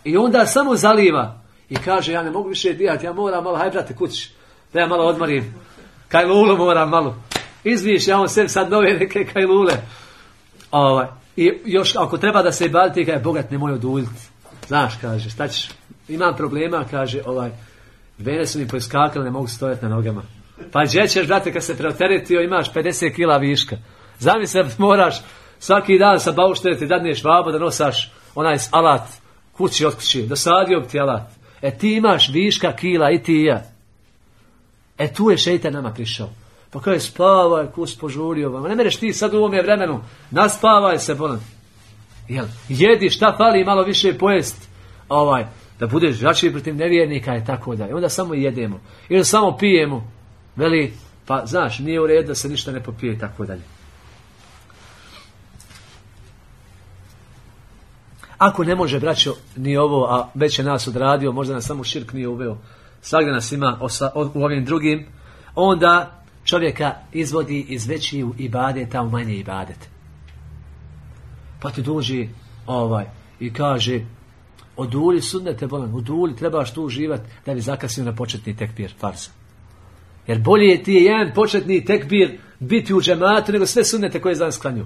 I onda samo zaliva. I kaže, ja ne mogu više dijati, ja moram malo, haj brate kući. Da ja malo odmarim. Kajlulu moram malo. Izviš, ja on sebi sad nove neke kajlule. Ovaj. I još ako treba da se ibaditi, kaže, bogat nemoj oduljiti. Znaš, kaže, šta ćeš? Imam problema, kaže, ovaj, vene su mi poiskakali, ne mogu stojati na nogama. Pa gdje ćeš, brate, kad se preoteretio, imaš pedeset kila viška. Zamisli, moraš svaki dan sa bauštereti dadneš vabo da nosaš onaj alat kući od kući, dosadio bi ti alat. E ti imaš viška kila i ti i ja. E tu je šeitan nama prišao. Pa kaže, spavaj, kus požurio vam. Ne mereš ti sad u ovome vremenu, naspavaj se, bolan. Jel, jedi, šta fali, malo više pojest, ovaj, da budeš žačiji protiv nevjernika i tako da. I onda samo jedemo. Ili samo pijemo. Veli, pa znaš, nije u redu da se ništa ne popije i tako dalje. Ako ne može, braćo, ni ovo, a već je nas odradio, možda nas samo širk nije uveo, svakda nas ima osa, u ovim drugim, onda čovjeka izvodi iz većih ibadeta u manje ibadete. Pa ti dođe ovaj, i kaže, oduli sunnete, bolan, oduli, trebaš tu uživati da bi zakasnio na početni tekbir farza. Jer bolje ti je jedan početni tekbir biti u džematu nego sve sunnete koje danas klanju.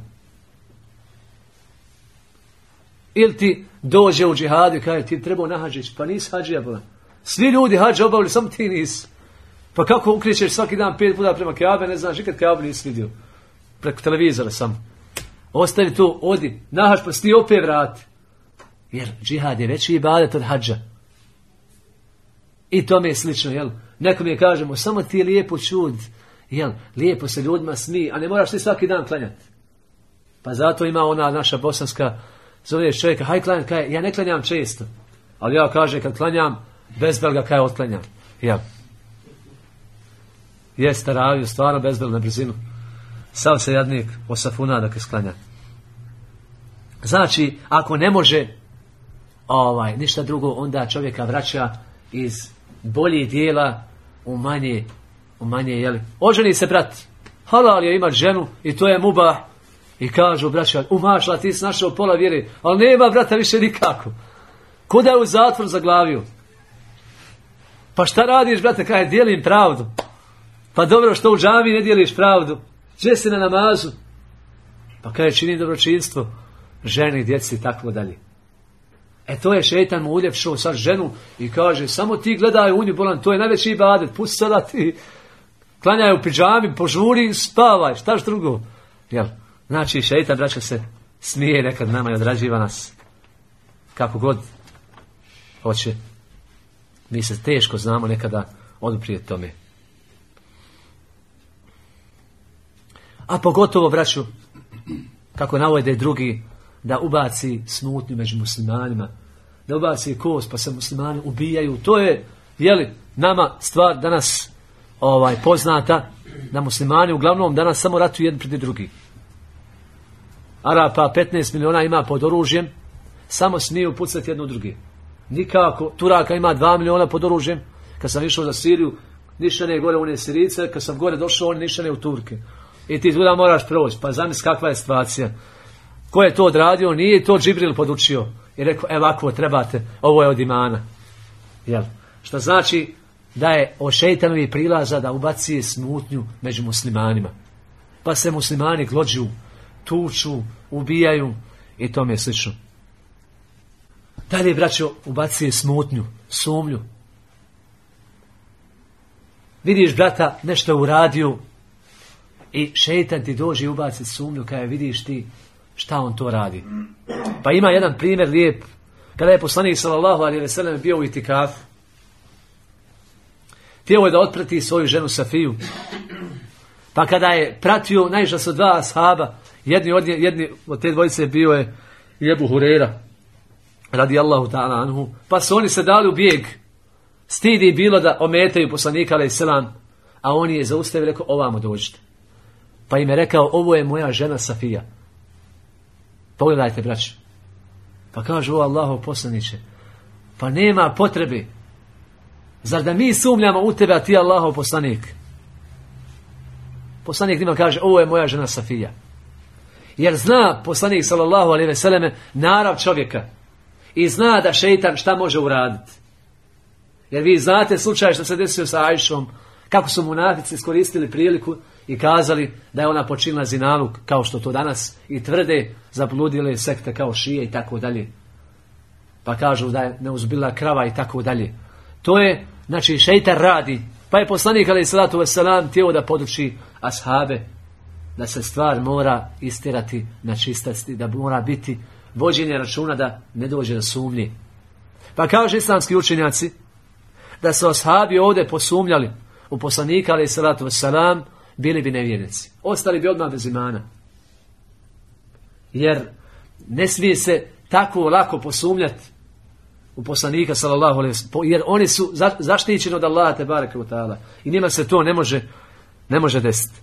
Ili ti dođe u džihadu i kaže, ti trebao na hađić, pa nisi hađija, bolan. Svi ljudi hađe obavili, samo ti nisi. Pa kako ukrećeš svaki dan pet puta prema Kaabe, ne znaš, nikad Kaabu nisi vidio. Preko televizora samo. Ostavi to, odi, nahaš, pa sti opet vrati. Jer džihad je veći ibadet od hađa. I tome je slično, jel? Nekom je kažemo, samo ti je lijepo čud, jel? Lijepo se ljudima smije, a ne moraš ti svaki dan klanjati. Pa zato ima ona naša bosanska, zoveš čovjeka, haj klanjati, kaj, ja ne klanjam često. Ali ja kažem, kad klanjam, bezbel ga kaj otklanjam. Jel? Jeste ravio, stvarno bezbel na brzinu. Sav se jadnik osafuna dok je sklanja. Znači, ako ne može ovaj, ništa drugo, onda čovjeka vraća iz boljih dijela u manje, u manje, jeli. Oženi se, brat, halal je imat ženu i to je mubah. I kažu, braća, umašla, ti si našao pola vjere, ali nema, brata, više nikako. Kuda je u zatvor zaglavio? Pa šta radiš, brate, kaj dijelim pravdu? Pa dobro, što u džami ne dijeliš pravdu? Gdje si na namazu? Pa kaj čini dobročinstvo? Ženi, djeci i tako dalje. E to je šeitan mu uljepšao sad ženu i kaže, samo ti gledaj u nju, bolan, to je najveći ibadet, pusti sada ti, klanjaj u pidžami, požuri, spavaj, štaš drugo? Jel? Znači, šeitan, braća, se smije nekad nama i odrađiva nas kako god hoće. Mi se teško znamo nekada oduprijeti tome. A pogotovo, braću, kako navode drugi, da ubaci smutnju među muslimanima, da ubaci kost pa se muslimani ubijaju. To je, jeli, nama stvar danas ovaj, poznata, da muslimani uglavnom danas samo ratuju jedni protiv drugi. Arapa petnaest miliona ima pod oružjem, samo smiju pucati jedno drugi. Nikako, Turaka ima dva miliona pod oružjem. Kad sam išao za Siriju, ništa ne gore one Sirice, kad sam gore došao, oni ništa ne u Turke. I ti tuda moraš proći, pa zamisli kakva je situacija. Ko je to odradio? Nije to Džibril podučio. I rekao, evo ovako trebate, ovo je od imana. Jel? Što znači da je o šeitanovi prilaza da ubaci smutnju među muslimanima. Pa se muslimani glođu, tuču, ubijaju i tome je slično. Dalje, braćo, ubaci smutnju, sumnju. Vidiš brata nešto uradio i šeitan ti dođe i ubaci sumnju kada vidiš ti šta on to radi. Pa ima jedan primjer lijep. Kada je poslanik sallallahu alejhi ve sellem bio u itikafu, htio je da otprati svoju ženu Safiju. Pa kada je pratio, naišla su dva ashaba, jedni od, jedni od te dvojice bio je i Ebu Hurera, radijallahu ta'ala anhu, pa su oni se dali u bijeg. Stidi bilo da ometaju poslanika alejhi selam, a on je zaustavio i rekao, ovamo dođite. Pa im je rekao, ovo je moja žena Safija. Pogledajte, braćo. Pa kažu, o Allahov poslaniče, pa nema potrebe. Zar da mi sumnjamo u tebe, a ti Allahov poslanik? Poslanik njima kaže, ovo je moja žena Safija. Jer zna poslanik sallallahu alejhi ve selleme narav čovjeka i zna da šejtan šta može uraditi. Jer vi znate slučaj što se desio sa Ajšom, kako su munafici iskoristili priliku i kazali da je ona počinila zinaluk, kao što to danas i tvrde zabludile sekte kao šije i tako dalje. Pa kažu da je neuzbila krava i tako dalje. To je, znači, šejtan radi. Pa je poslanik alejhi salatu vesselam htio da poduči ashabe da se stvar mora istirati na čistosti, da mora biti vođenje računa da ne dođe do sumnje. Pa kaže islamski učenjaci da su ashabi ovdje posumnjali u poslanika alejhi salatu vesselam, bili bi nevjernici. Ostali bi odmah bez imana. Jer ne smije se tako lako posumnjati u poslanika sallallahu alejhi ve sellem, jer oni su zaštićeni od Allaha te bareke ve taala i njima se to ne može ne može desiti.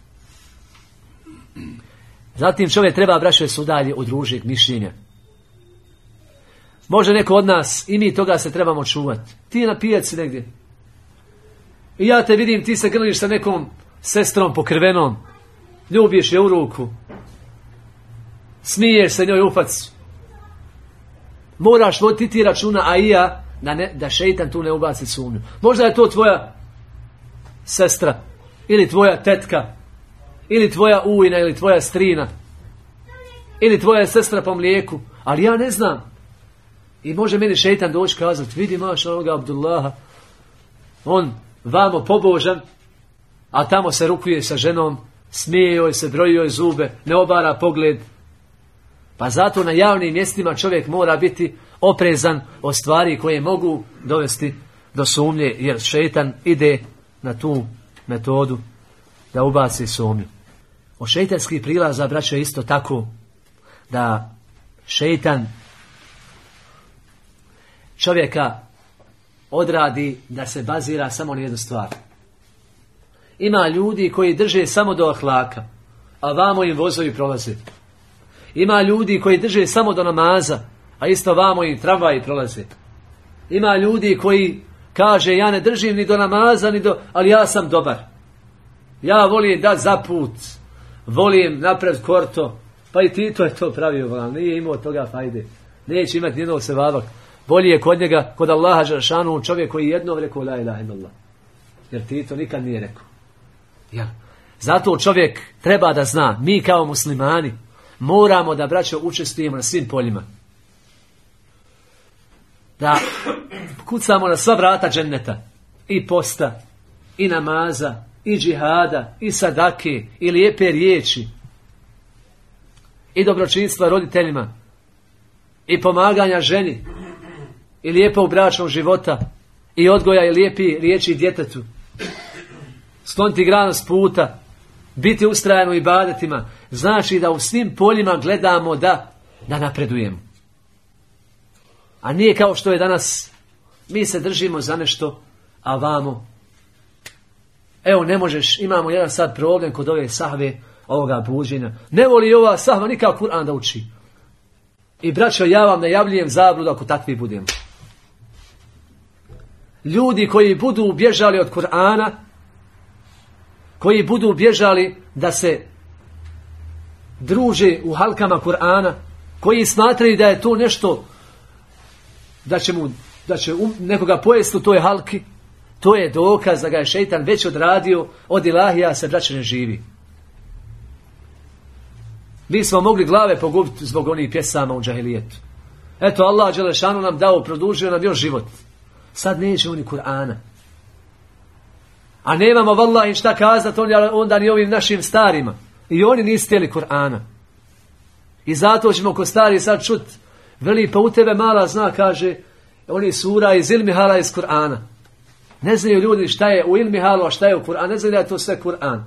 Zatim čovjek treba, braćo, se udalje od ružnih mišljenja. Može neko od nas, i mi toga se trebamo čuvati. Ti je na pijaci negdje i ja te vidim, ti se grliš sa nekom sestrom pokrivenom, ljubiš je u ruku, smiješ se njoj u facu. Moraš voditi ti računa, a i ja, da, ne, da šejtan tu ne ubaci sumnju. Možda je to tvoja sestra, ili tvoja tetka, ili tvoja ujna, ili tvoja strina, ili tvoja sestra po mlijeku, ali ja ne znam. I može meni šejtan doći kazati, vidi maš onoga Abdullaha, on vamo pobožan, a tamo se rukuje sa ženom, smije joj se, broji joj zube, ne obara pogled. Pa zato na javnim mjestima čovjek mora biti oprezan od stvari koje mogu dovesti do sumnje, jer šejtan ide na tu metodu da ubaci sumnju. Od šejtanskih prilaza, braćo, je isto tako da šejtan čovjeka odradi da se bazira samo na jednu stvar. Ima ljudi koji drže samo do ahlaka, a vamo im vozovi prolaze. Ima ljudi koji drže samo do namaza, a isto vamo im tramvaji prolaze. Ima ljudi koji kaže, ja ne držim ni do namaza, ni do, ali ja sam dobar. Ja volim dat za put, volim napred korto, pa i Tito je to pravio, ali nije imao toga fajde. Neće imati nijednog sevaba. Bolje je kod njega, kod Allaha dželešanu, čovjek koji jednom rekao la ilaha illallah. Jer Tito nikad nije rekao. Ja. Zato čovjek treba da zna, mi kao muslimani moramo da, braćo, učestvujemo na svim poljima. Da kucamo na sva vrata dženneta. I posta, i namaza, i džihada, i sadake, i lijepe riječi, i dobročinstva roditeljima, i pomaganja ženi, i lijepo u bračnom života, i odgoja i lijepi riječi djetetu. Skloniti granu s puta, biti ustrajan u ibadetima, znači da u svim poljima gledamo da, da napredujemo. A nije kao što je danas, mi se držimo za nešto, a vamo, evo ne možeš, imamo jedan sad problem kod ove sahve, ovoga buđenja. Ne voli ova sahva nikao Kur'an da uči. I braćo, ja vam najavljujem zabludu ako takvi budemo. Ljudi koji budu bježali od Kur'ana, koji budu bježali da se druže u halkama Kur'ana, koji smatraju da je to nešto, da će, mu, da će um, nekoga pojesti u toj halki, to je dokaz da ga je šejtan već odradio, od ilahija se, braće, ne živi. Mi smo mogli glave pogubiti zbog onih pjesama u džahilijetu. Eto, Allah dželešanu nam dao, produžio nam još život. Sad nećemo ni Kur'ana. A nemamo vallahi šta kazati onda ni ovim našim starima. I oni nisu htjeli Kur'ana. I zato ćemo ko stari sad čut, veli, pa u tebe mala zna, kaže, oni sura iz ilmi hala iz Kur'ana. Ne znaju ljudi šta je u ilmi halu, a šta je u Kur'an. Ne znaju da je to sve Kur'an.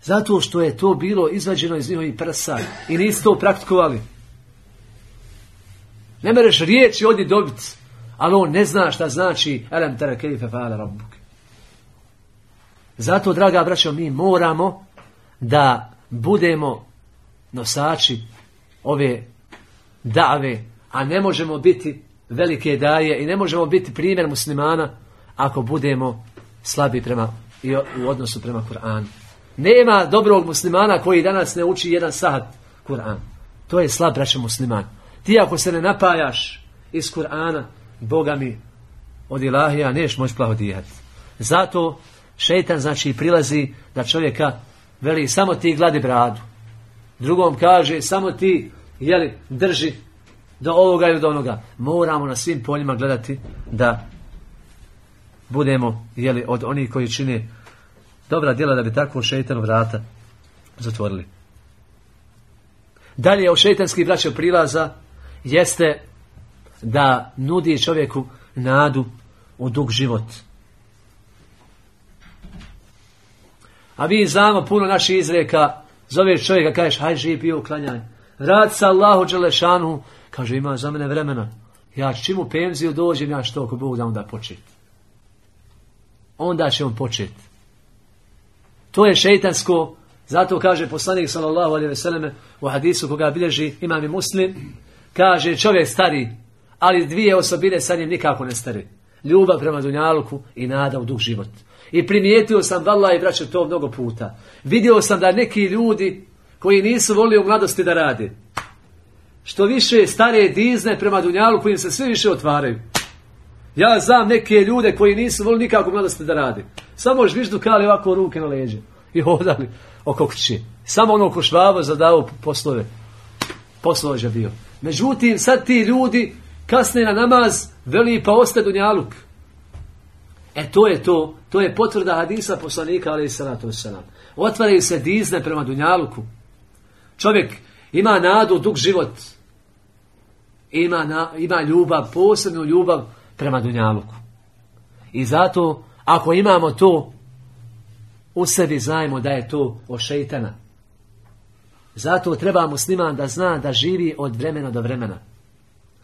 Zato što je to bilo izvađeno iz njihovih prsa i nisu to praktikovali. Ne mereš riječi ovdje dobiti, ali on ne zna šta znači elem tere kejfe fa'ala rabbuk. Zato, draga braćo, mi moramo da budemo nosači ove dave, a ne možemo biti velike daje i ne možemo biti primjer muslimana ako budemo slabi prema, u odnosu prema Kur'anu. Nema dobrog muslimana koji danas ne uči jedan sahat Kur'an. To je slab, braćo, musliman. Ti ako se ne napajaš iz Kur'ana, Boga mi od ilahija neš moći plahodijati. Zato šeitan znači prilazi da čovjeka veli samo ti gladi bradu. Drugom kaže samo ti jeli, drži do ovoga ili do onoga. Moramo na svim poljima gledati da budemo jeli, od onih koji čine dobra djela da bi tako šeitanu vrata zatvorili. Dalje od šeitanskih braća prilaza jeste da nudi čovjeku nadu u dug život. A mi znamo puno naših izreka, zoveš čovjeka, kažeš haj živ bio uklanjaj. Rad sa Allahu dželešanu, kaže ima za mene vremena. Ja čim u penziju dođem, ja što ako Bog da onda početi. Onda će on početi. To je šeitansko, zato kaže poslanik sallallahu alejhi ve selleme u hadisu koga bilježi imam i Muslim, kaže čovjek stari, ali dvije osobine sa njim nikako ne stari. Ljubav prema dunjaluku i nada u dug život. I primijetio sam, vallahi braćo, to mnogo puta. Vidio sam da neki ljudi koji nisu volili u mladosti da rade, što više stare dizne prema dunjaluku im se sve više otvaraju. Ja znam neke ljude koji nisu volili nikako u mladosti da rade. Samo žviždukali ovako ruke na leđe i hodali oko kuće. Samo ono ko Švabo zadao poslove. Poslovođa bio. Međutim, sad ti ljudi kasne na namaz, veli pa ostaje dunjaluk. E to je to, to je potvrda hadisa poslanika alejhi salatu vesselam. Otvaraju se dizne prema dunjaluku. Čovjek ima nadu, dug život. Ima, na, ima ljubav, posebnu ljubav prema dunjaluku. I zato, ako imamo to, u sebi znajmo da je to od šeitana. Zato treba musliman da zna da živi od vremena do vremena.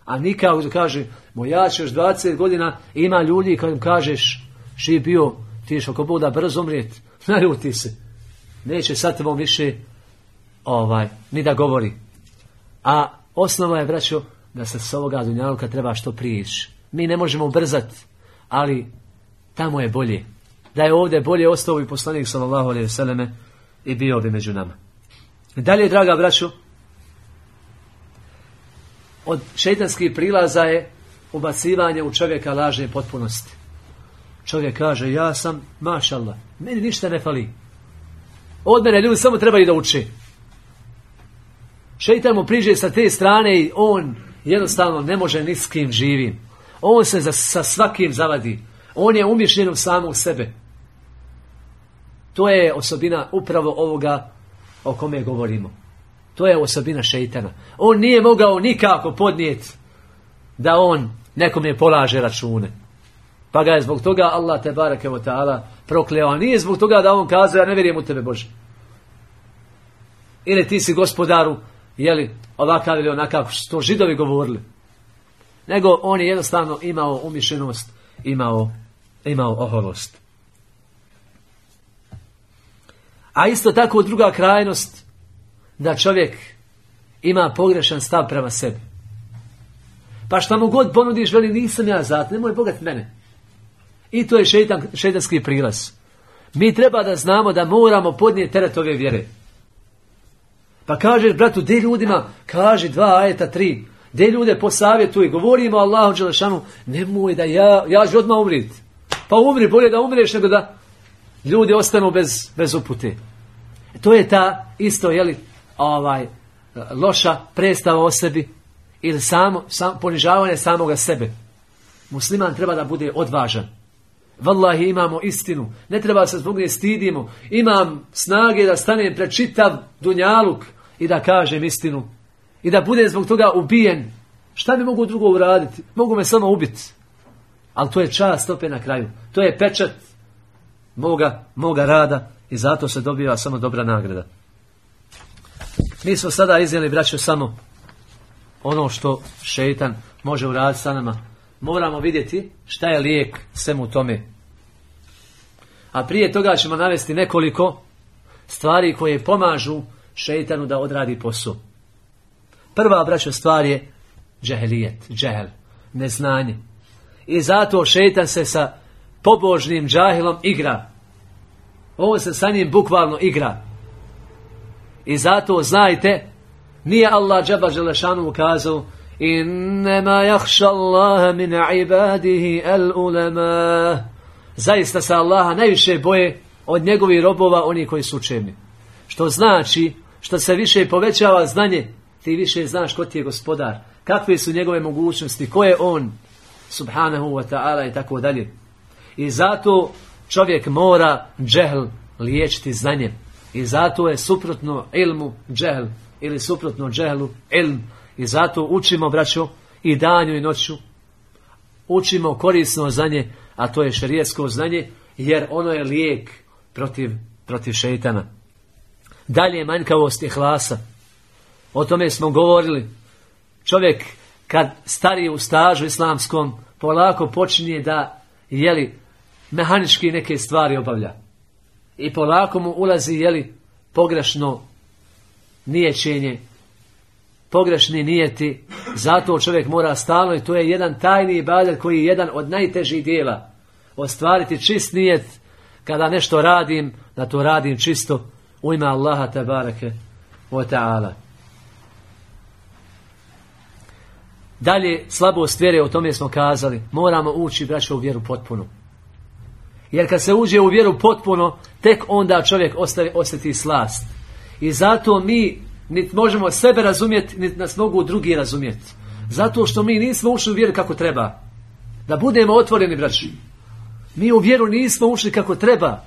A nikako da kaže, moj ja ćeš dvadeset godina, ima ljudi kad im kažeš, živ bio, ti ješ oko Boga brzo umrijeti, naljuti se. Neće sad tebom više ovaj, ni da govori. A osnova je, braćo, da se s ovoga dunjaluka treba što prije ići. Mi ne možemo ubrzati, ali tamo je bolje. Da je ovdje bolje ostao bi poslanik sallallahu alejhi ve selleme i bio bi među nama. Dalje, draga braćo, od šejtanskih prilaza je ubacivanje u čovjeka lažne potpunosti. Čovjek kaže, ja sam, mašallah, meni ništa ne fali. Od mene ljudi samo trebaju da uče. Šejtan mu priđe sa te strane i on jednostavno ne može ni s kim živim. On se za, sa svakim zavadi. On je umišljen u samog sebe. To je osobina upravo ovoga o kome govorimo. To je osobina šejtana. On nije mogao nikako podnijeti da on nekome polaže račune. Pa ga je zbog toga Allah te bareke ve taala prokleo. A nije zbog toga da on kazao, ja ne vjerujem u tebe Bože. Ili ti si gospodaru, jeli, ovakav ili onakav, što to Židovi govorili. Nego on je jednostavno imao umišljenost, imao, imao oholost. A isto tako druga krajnost, da čovjek ima pogrešan stav prema sebi. Pa šta mu god ponudiš, veli nisam ja za to, nemoj bogat mene. I to je šeitan, šeitanski prilaz. Mi treba da znamo da moramo podnijeti teret ove vjere. Pa kažeš bratu, de ljudima, kaži dva ajeta, tri. De ljude posavjetuj, govorimo Allahu dželešanu, nemoj da ja, ja ću odmah umriti. Pa umri, bolje da umreš nego da ljudi ostanu bez, bez upute. To je ta isto, jeli, ovaj, loša predstava o sebi ili samo, sam, ponižavanje samoga sebe. Musliman treba da bude odvažan. Wallahi imamo istinu. Ne treba se zbog nje stidimo. Imam snage da stanem pred čitav dunjaluk i da kažem istinu. I da budem zbog toga ubijen. Šta mi mogu drugo uraditi? Mogu me samo ubiti. Ali to je čast opet na kraju. To je pečat moga, moga rada i zato se dobiva samo dobra nagrada. Mi smo sada iznijeli, braćo, samo ono što šeitan može uraditi sa nama. Moramo vidjeti šta je lijek svemu tome. A prije toga ćemo navesti nekoliko stvari koje pomažu šeitanu da odradi posao. Prva, braćo, stvar je džehelijet, džehel, neznanje. I zato šeitan se sa pobožnim džahilom igra. On se sa njim bukvalno igra. I zato znajte, nije Allah džaba želešanu ukazao innema jahša Allaha min ibadihi al ulema. Zaista se Allaha najviše boje od njegovih robova oni koji su učeni. Što znači, što se više povećava znanje, ti više znaš ko ti je gospodar, kakve su njegove mogućnosti, ko je on, subhanahu wa ta'ala i tako dalje. I zato čovjek mora džehl liječiti znanjem. I zato je suprotno ilmu džehl ili suprotno džehlu ilm. I zato učimo, braćo, i danju i noću. Učimo korisno znanje, a to je šerijetsko znanje, jer ono je lijek protiv, protiv šeitana. Dalje, manjkavost ihlasa. O tome smo govorili. Čovjek kad stari u stažu islamskom polako počinje da jeli mehanički neke stvari obavlja. I polako mu ulazi jeli pogrešno niječenje, pogrešni nijeti. Zato čovjek mora stalno, i to je jedan tajni ibadet koji je jedan od najtežih dijela. Ostvariti čist nijet kada nešto radim, da to radim čisto u ime Allaha tebareke wa ta'ala. Dalje, slabost vjere, o tome smo kazali. Moramo ući, braćo, u vjeru potpuno. Jer kad se uđe u vjeru potpuno, tek onda čovjek ostavi, osjeti slast. I zato mi niti možemo sebe razumjeti, niti nas mogu drugi razumjeti. Zato što mi nismo ušli u vjeru kako treba. Da budemo otvoreni, braći. Mi u vjeru nismo ušli kako treba.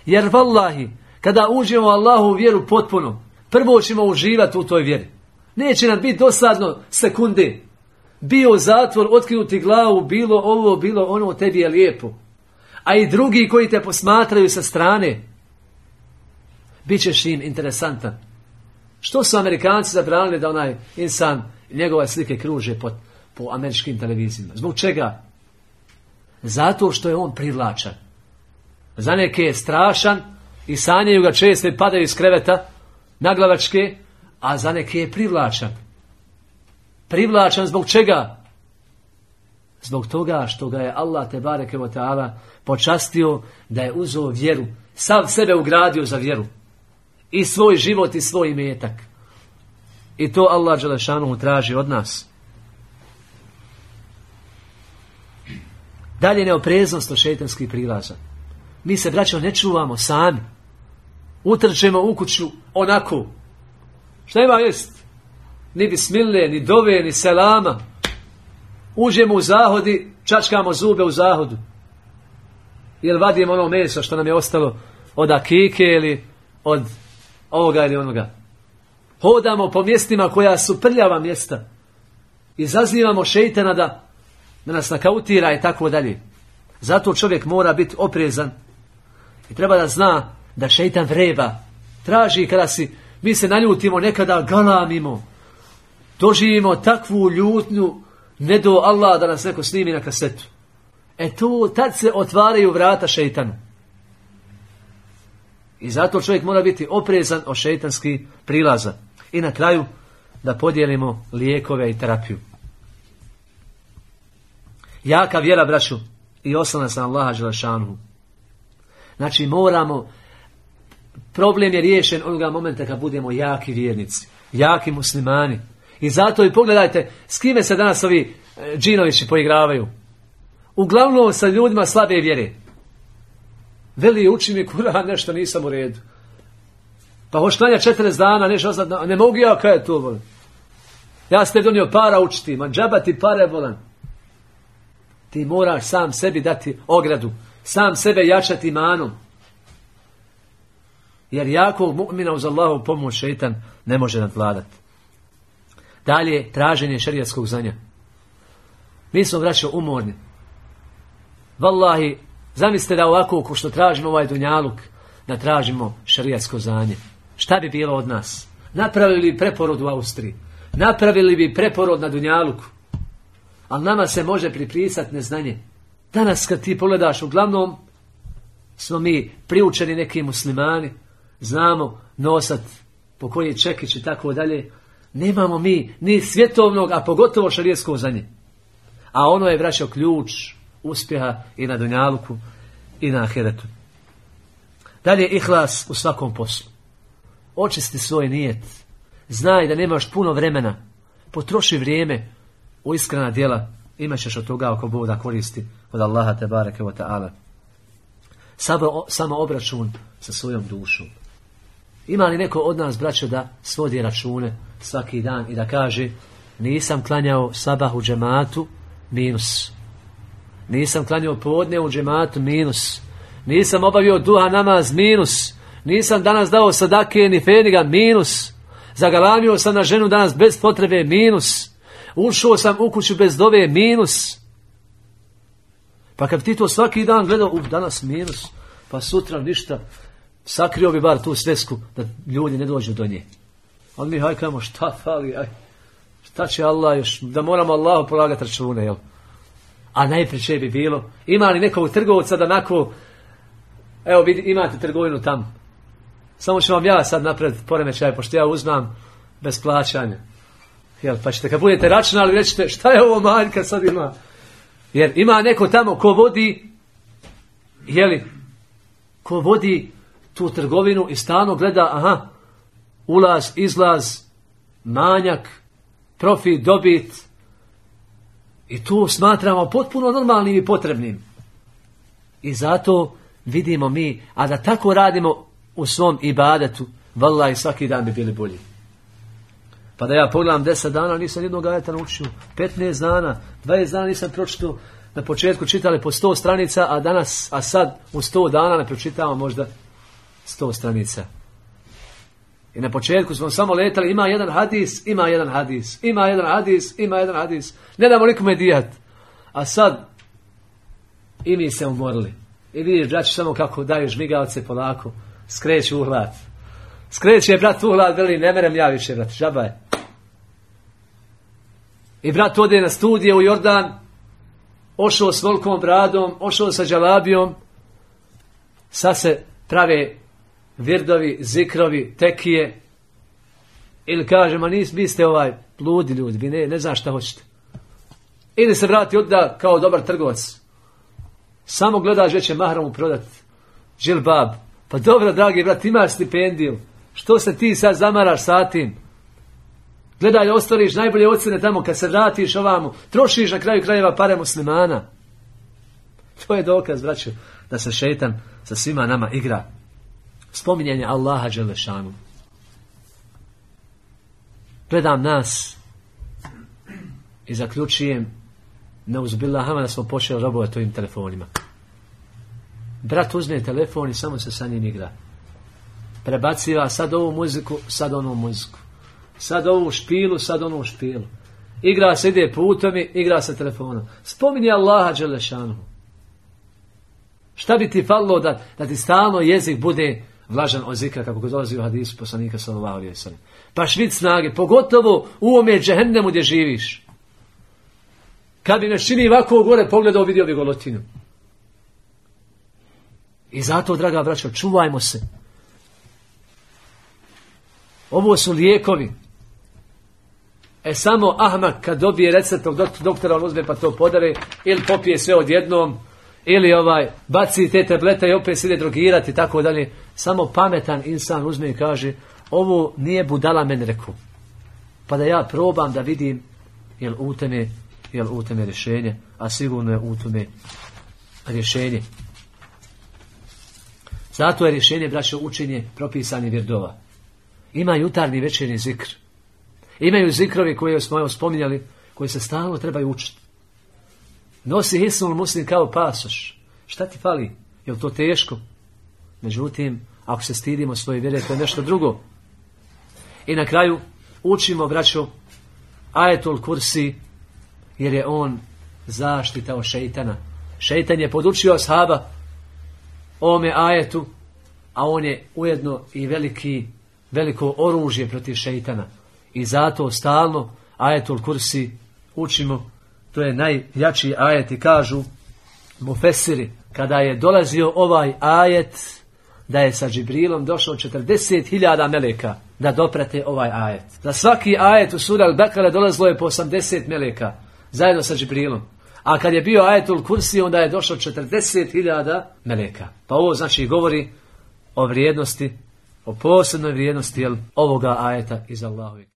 Jer vallahi, kada uđemo u Allahu u vjeru potpuno, prvo ćemo uživati u toj vjeri. Neće nam biti dosadno sekunde. Bio zatvor, otkinuti glavu, bilo ovo, bilo ono, tebi je lijepo. A i drugi koji te posmatraju sa strane, bit ćeš im interesantan. Što su Amerikanci zabranili da onaj insan, njegove slike kruže po, po američkim televizijama? Zbog čega? Zato što je on privlačan. Za neke je strašan i sanjaju ga često i padaju iz kreveta naglavačke, a za neke je privlačan. Privlačan zbog čega? Zbog toga što ga je Allah tebareke ve taala počastio da je uzeo vjeru, sav sebe ugradio za vjeru. I svoj život i svoj imetak. I to Allah dželešanu traži od nas. Dalje, neopreznost od šejtanskih prilaza. Mi se, braćo, ne čuvamo sami. Utrčemo u kuću onako. Šta ima jest? Ni bismile, ni dove, ni selama. Uđemo u zahodi, čačkamo zube u zahodu. Ili vadimo ono meso što nam je ostalo od akike ili od ovoga ili onoga. Hodamo po mjestima koja su prljava mjesta. Izazivamo šejtana da, da nas nakautira i tako dalje. Zato čovjek mora biti oprezan i treba da zna da šejtan vreba. Traži kada si, mi se naljutimo, nekada galamimo. Doživimo takvu ljutnju, ne do Allah da nas neko snimi na kasetu. E tu, tad se otvaraju vrata šejtanu. I zato čovjek mora biti oprezan od šejtanskih prilaza. I na kraju da podijelimo lijekove i terapiju. Jaka vjera, braću, i oslanac na Allaha dželešanu. Znači moramo, problem je riješen onoga momenta kad budemo jaki vjernici, jaki muslimani. I zato i pogledajte s kime se danas ovi e, džinovići poigravaju. Uglavnom sa ljudima slabe vjere. Veli, uči mi Kur'an, nešto nisam u redu. Pa hoš klanja četrdeset dana, nešto oznat, ne mogu ja, kaj je to, volim. Ja ste donio para učiti, man džaba ti pare, volan. Ti moraš sam sebi dati ogradu, sam sebe jačati imanom. Jer jakog mu'mina uz Allahu pomoć šejtan ne može nadvladati. Dalje, traženje šerijatskog znanja. Mi smo, braćo, umorni. Wallahi, zamislite da ovako, ko što tražimo ovaj dunjaluk, da tražimo šerijatsko znanje. Šta bi bilo od nas? Napravili bi preporod u Austriji. Napravili bi preporod na dunjaluku. Ali nama se može pripisati neznanje. Danas kad ti pogledaš, uglavnom smo mi priučeni neki muslimani, znamo nosat po koji čekić i tako dalje. Nemamo mi ni svjetovnog, a pogotovo šerijatsko znanje. A ono je, braćo, ključ uspjeha i na dunjaluku i na ahiretu. Dalje, ihlas u svakom poslu. Očisti svoj nijet. Znaj da nemaš puno vremena. Potroši vrijeme u iskrena djela. Imat ćeš od toga ako Bog da koristi od Allaha te bareke ve taala. Samo, samo obračun sa svojom dušom. Ima li neko od nas, braćo, da svodi račune svaki dan i da kaže nisam klanjao sabah u džematu, minus. Nisam klanjao podne u džematu, minus. Nisam obavio duha namaz, minus. Nisam danas dao sadake ni feniga, minus. Zagalamio sam na ženu danas bez potrebe, minus. Ušao sam u kuću bez dove, minus. Pa kad ti to svaki dan gledao, u danas minus, pa sutra ništa, sakrio bi bar tu svesku da ljudi ne dođu do nje. Ali mi hajkamo, šta fali, aj, šta će Allah još, da moramo Allahu polagati račune, jel? A najpreće bi bilo, ima li nekog trgovca da nako, evo vidi, imate trgovinu tamo, samo ću vam ja sad napraviti poremećaj, pošto ja uzmam bez plaćanja. Jel, pa ćete kad budete računali rećete šta je ovo manjka sad ima. Jer ima neko tamo ko vodi, jeli, ko vodi tu trgovinu i stalno gleda, aha, ulaz, izlaz, manjak, profit, dobit. I tu smatramo potpuno normalnim i potrebnim. I zato vidimo mi, a da tako radimo u svom ibadetu, vallahi svaki dan bi bili bolji. Pa da ja pogledam deset dana, nisam jednog ajeta naučio, petnaest dana, dvadeset dana nisam pročitao, na početku čitali po sto stranica, a danas, a sad u sto dana ne pročitamo možda sto stranica. I na početku smo samo letali, ima jedan hadis, ima jedan hadis, ima jedan hadis, ima jedan hadis, ne damo nikome dijat. A sad i mi se umorili. I vidiš, braći, samo kako daju žmigavce polako, skreću u hlad. Skreće brat u hlad, veli, ne merem ja više, brat, žaba je. I brat ode na studije u Jordan, ošao s velikom bradom, ošao sa džalabijom, sad se prave virdovi, zikrovi, tekije, ili kaže, ma nis, vi ste ovaj ludi ljudi, vi ne, ne znaš šta hoćete. Ili se vrati odda kao dobar trgovac. Samo gledaš gdje će mahramu prodati. Džilbab. Pa dobro, dragi brat, imaš stipendiju. Što se ti sad zamaraš sa tim? Gledaj, ostvariš najbolje ocjene tamo kad se vratiš ovamo. Trošiš na kraju krajeva pare muslimana. To je dokaz, braćo, da se šejtan sa svima nama igra. Spominjanje Allaha dželešanu. Gledam nas i zaključujem, neuzbillaha, da smo počeli robovati ovim telefonima. Brat uzme telefon i samo se sa njim igra. Prebaciva sad ovu muziku, sad onu muziku. Sad ovu špilu, sad onu špilu. Igra se, ide putom i igra se telefonom. Spominje Allaha dželešanu. Šta bi ti falilo da, da ti stalno jezik bude vlažan od zikra, kako god dolazi u hadisu poslanika sallallahu alejhi ve sellem. Pa švit snage, pogotovo u ovome džehennemu gdje živiš. Kad bi nas čini ovako gore pogledao, vidio bi golotinu. I zato, draga braćo, čuvajmo se. Ovo su lijekovi. E samo ahmak kad dobije recept od doktora, on uzme pa to podare, ili popije sve odjednom, ili ovaj baci te tablete i opet se ide drogirati i tako dalje. Samo pametan insan uzme i kaže, ovo nije budala meni rekao. Pa da ja probam da vidim jel u tome, jel u tome rješenje, a sigurno je u tome rješenje. Zato je rješenje, braćo, učenje propisani virdova. Ima jutarnji večernji zikr. Imaju zikrovi koje smo spominjali, koji se stalno trebaju učiti. Nosi hisnul muslim kao pasoš. Šta ti fali? Je li to teško? Međutim, ako se stidimo svoje vjere, to je nešto drugo. I na kraju učimo, braćo, ajetul kursi, jer je on zaštita od šeitana. Šejtan je podučio ashaba ovome ajetu, a on je ujedno i veliki, veliko oružje protiv šejtana. I zato stalno ajetul kursi učimo. To je najjači ajet i kažu mufesiri, kada je dolazio ovaj ajet, da je sa Džibrilom došlo četrdeset hiljada meleka da doprate ovaj ajet. Za svaki ajet u suri Al-Bekara dolazilo je po osamdeset meleka zajedno sa Džibrilom. A kad je bio ajetul kursi, onda je došlo četrdeset hiljada meleka. Pa ovo znači govori o vrijednosti, o posebnoj vrijednosti jel, ovoga ajeta iz Allahovi.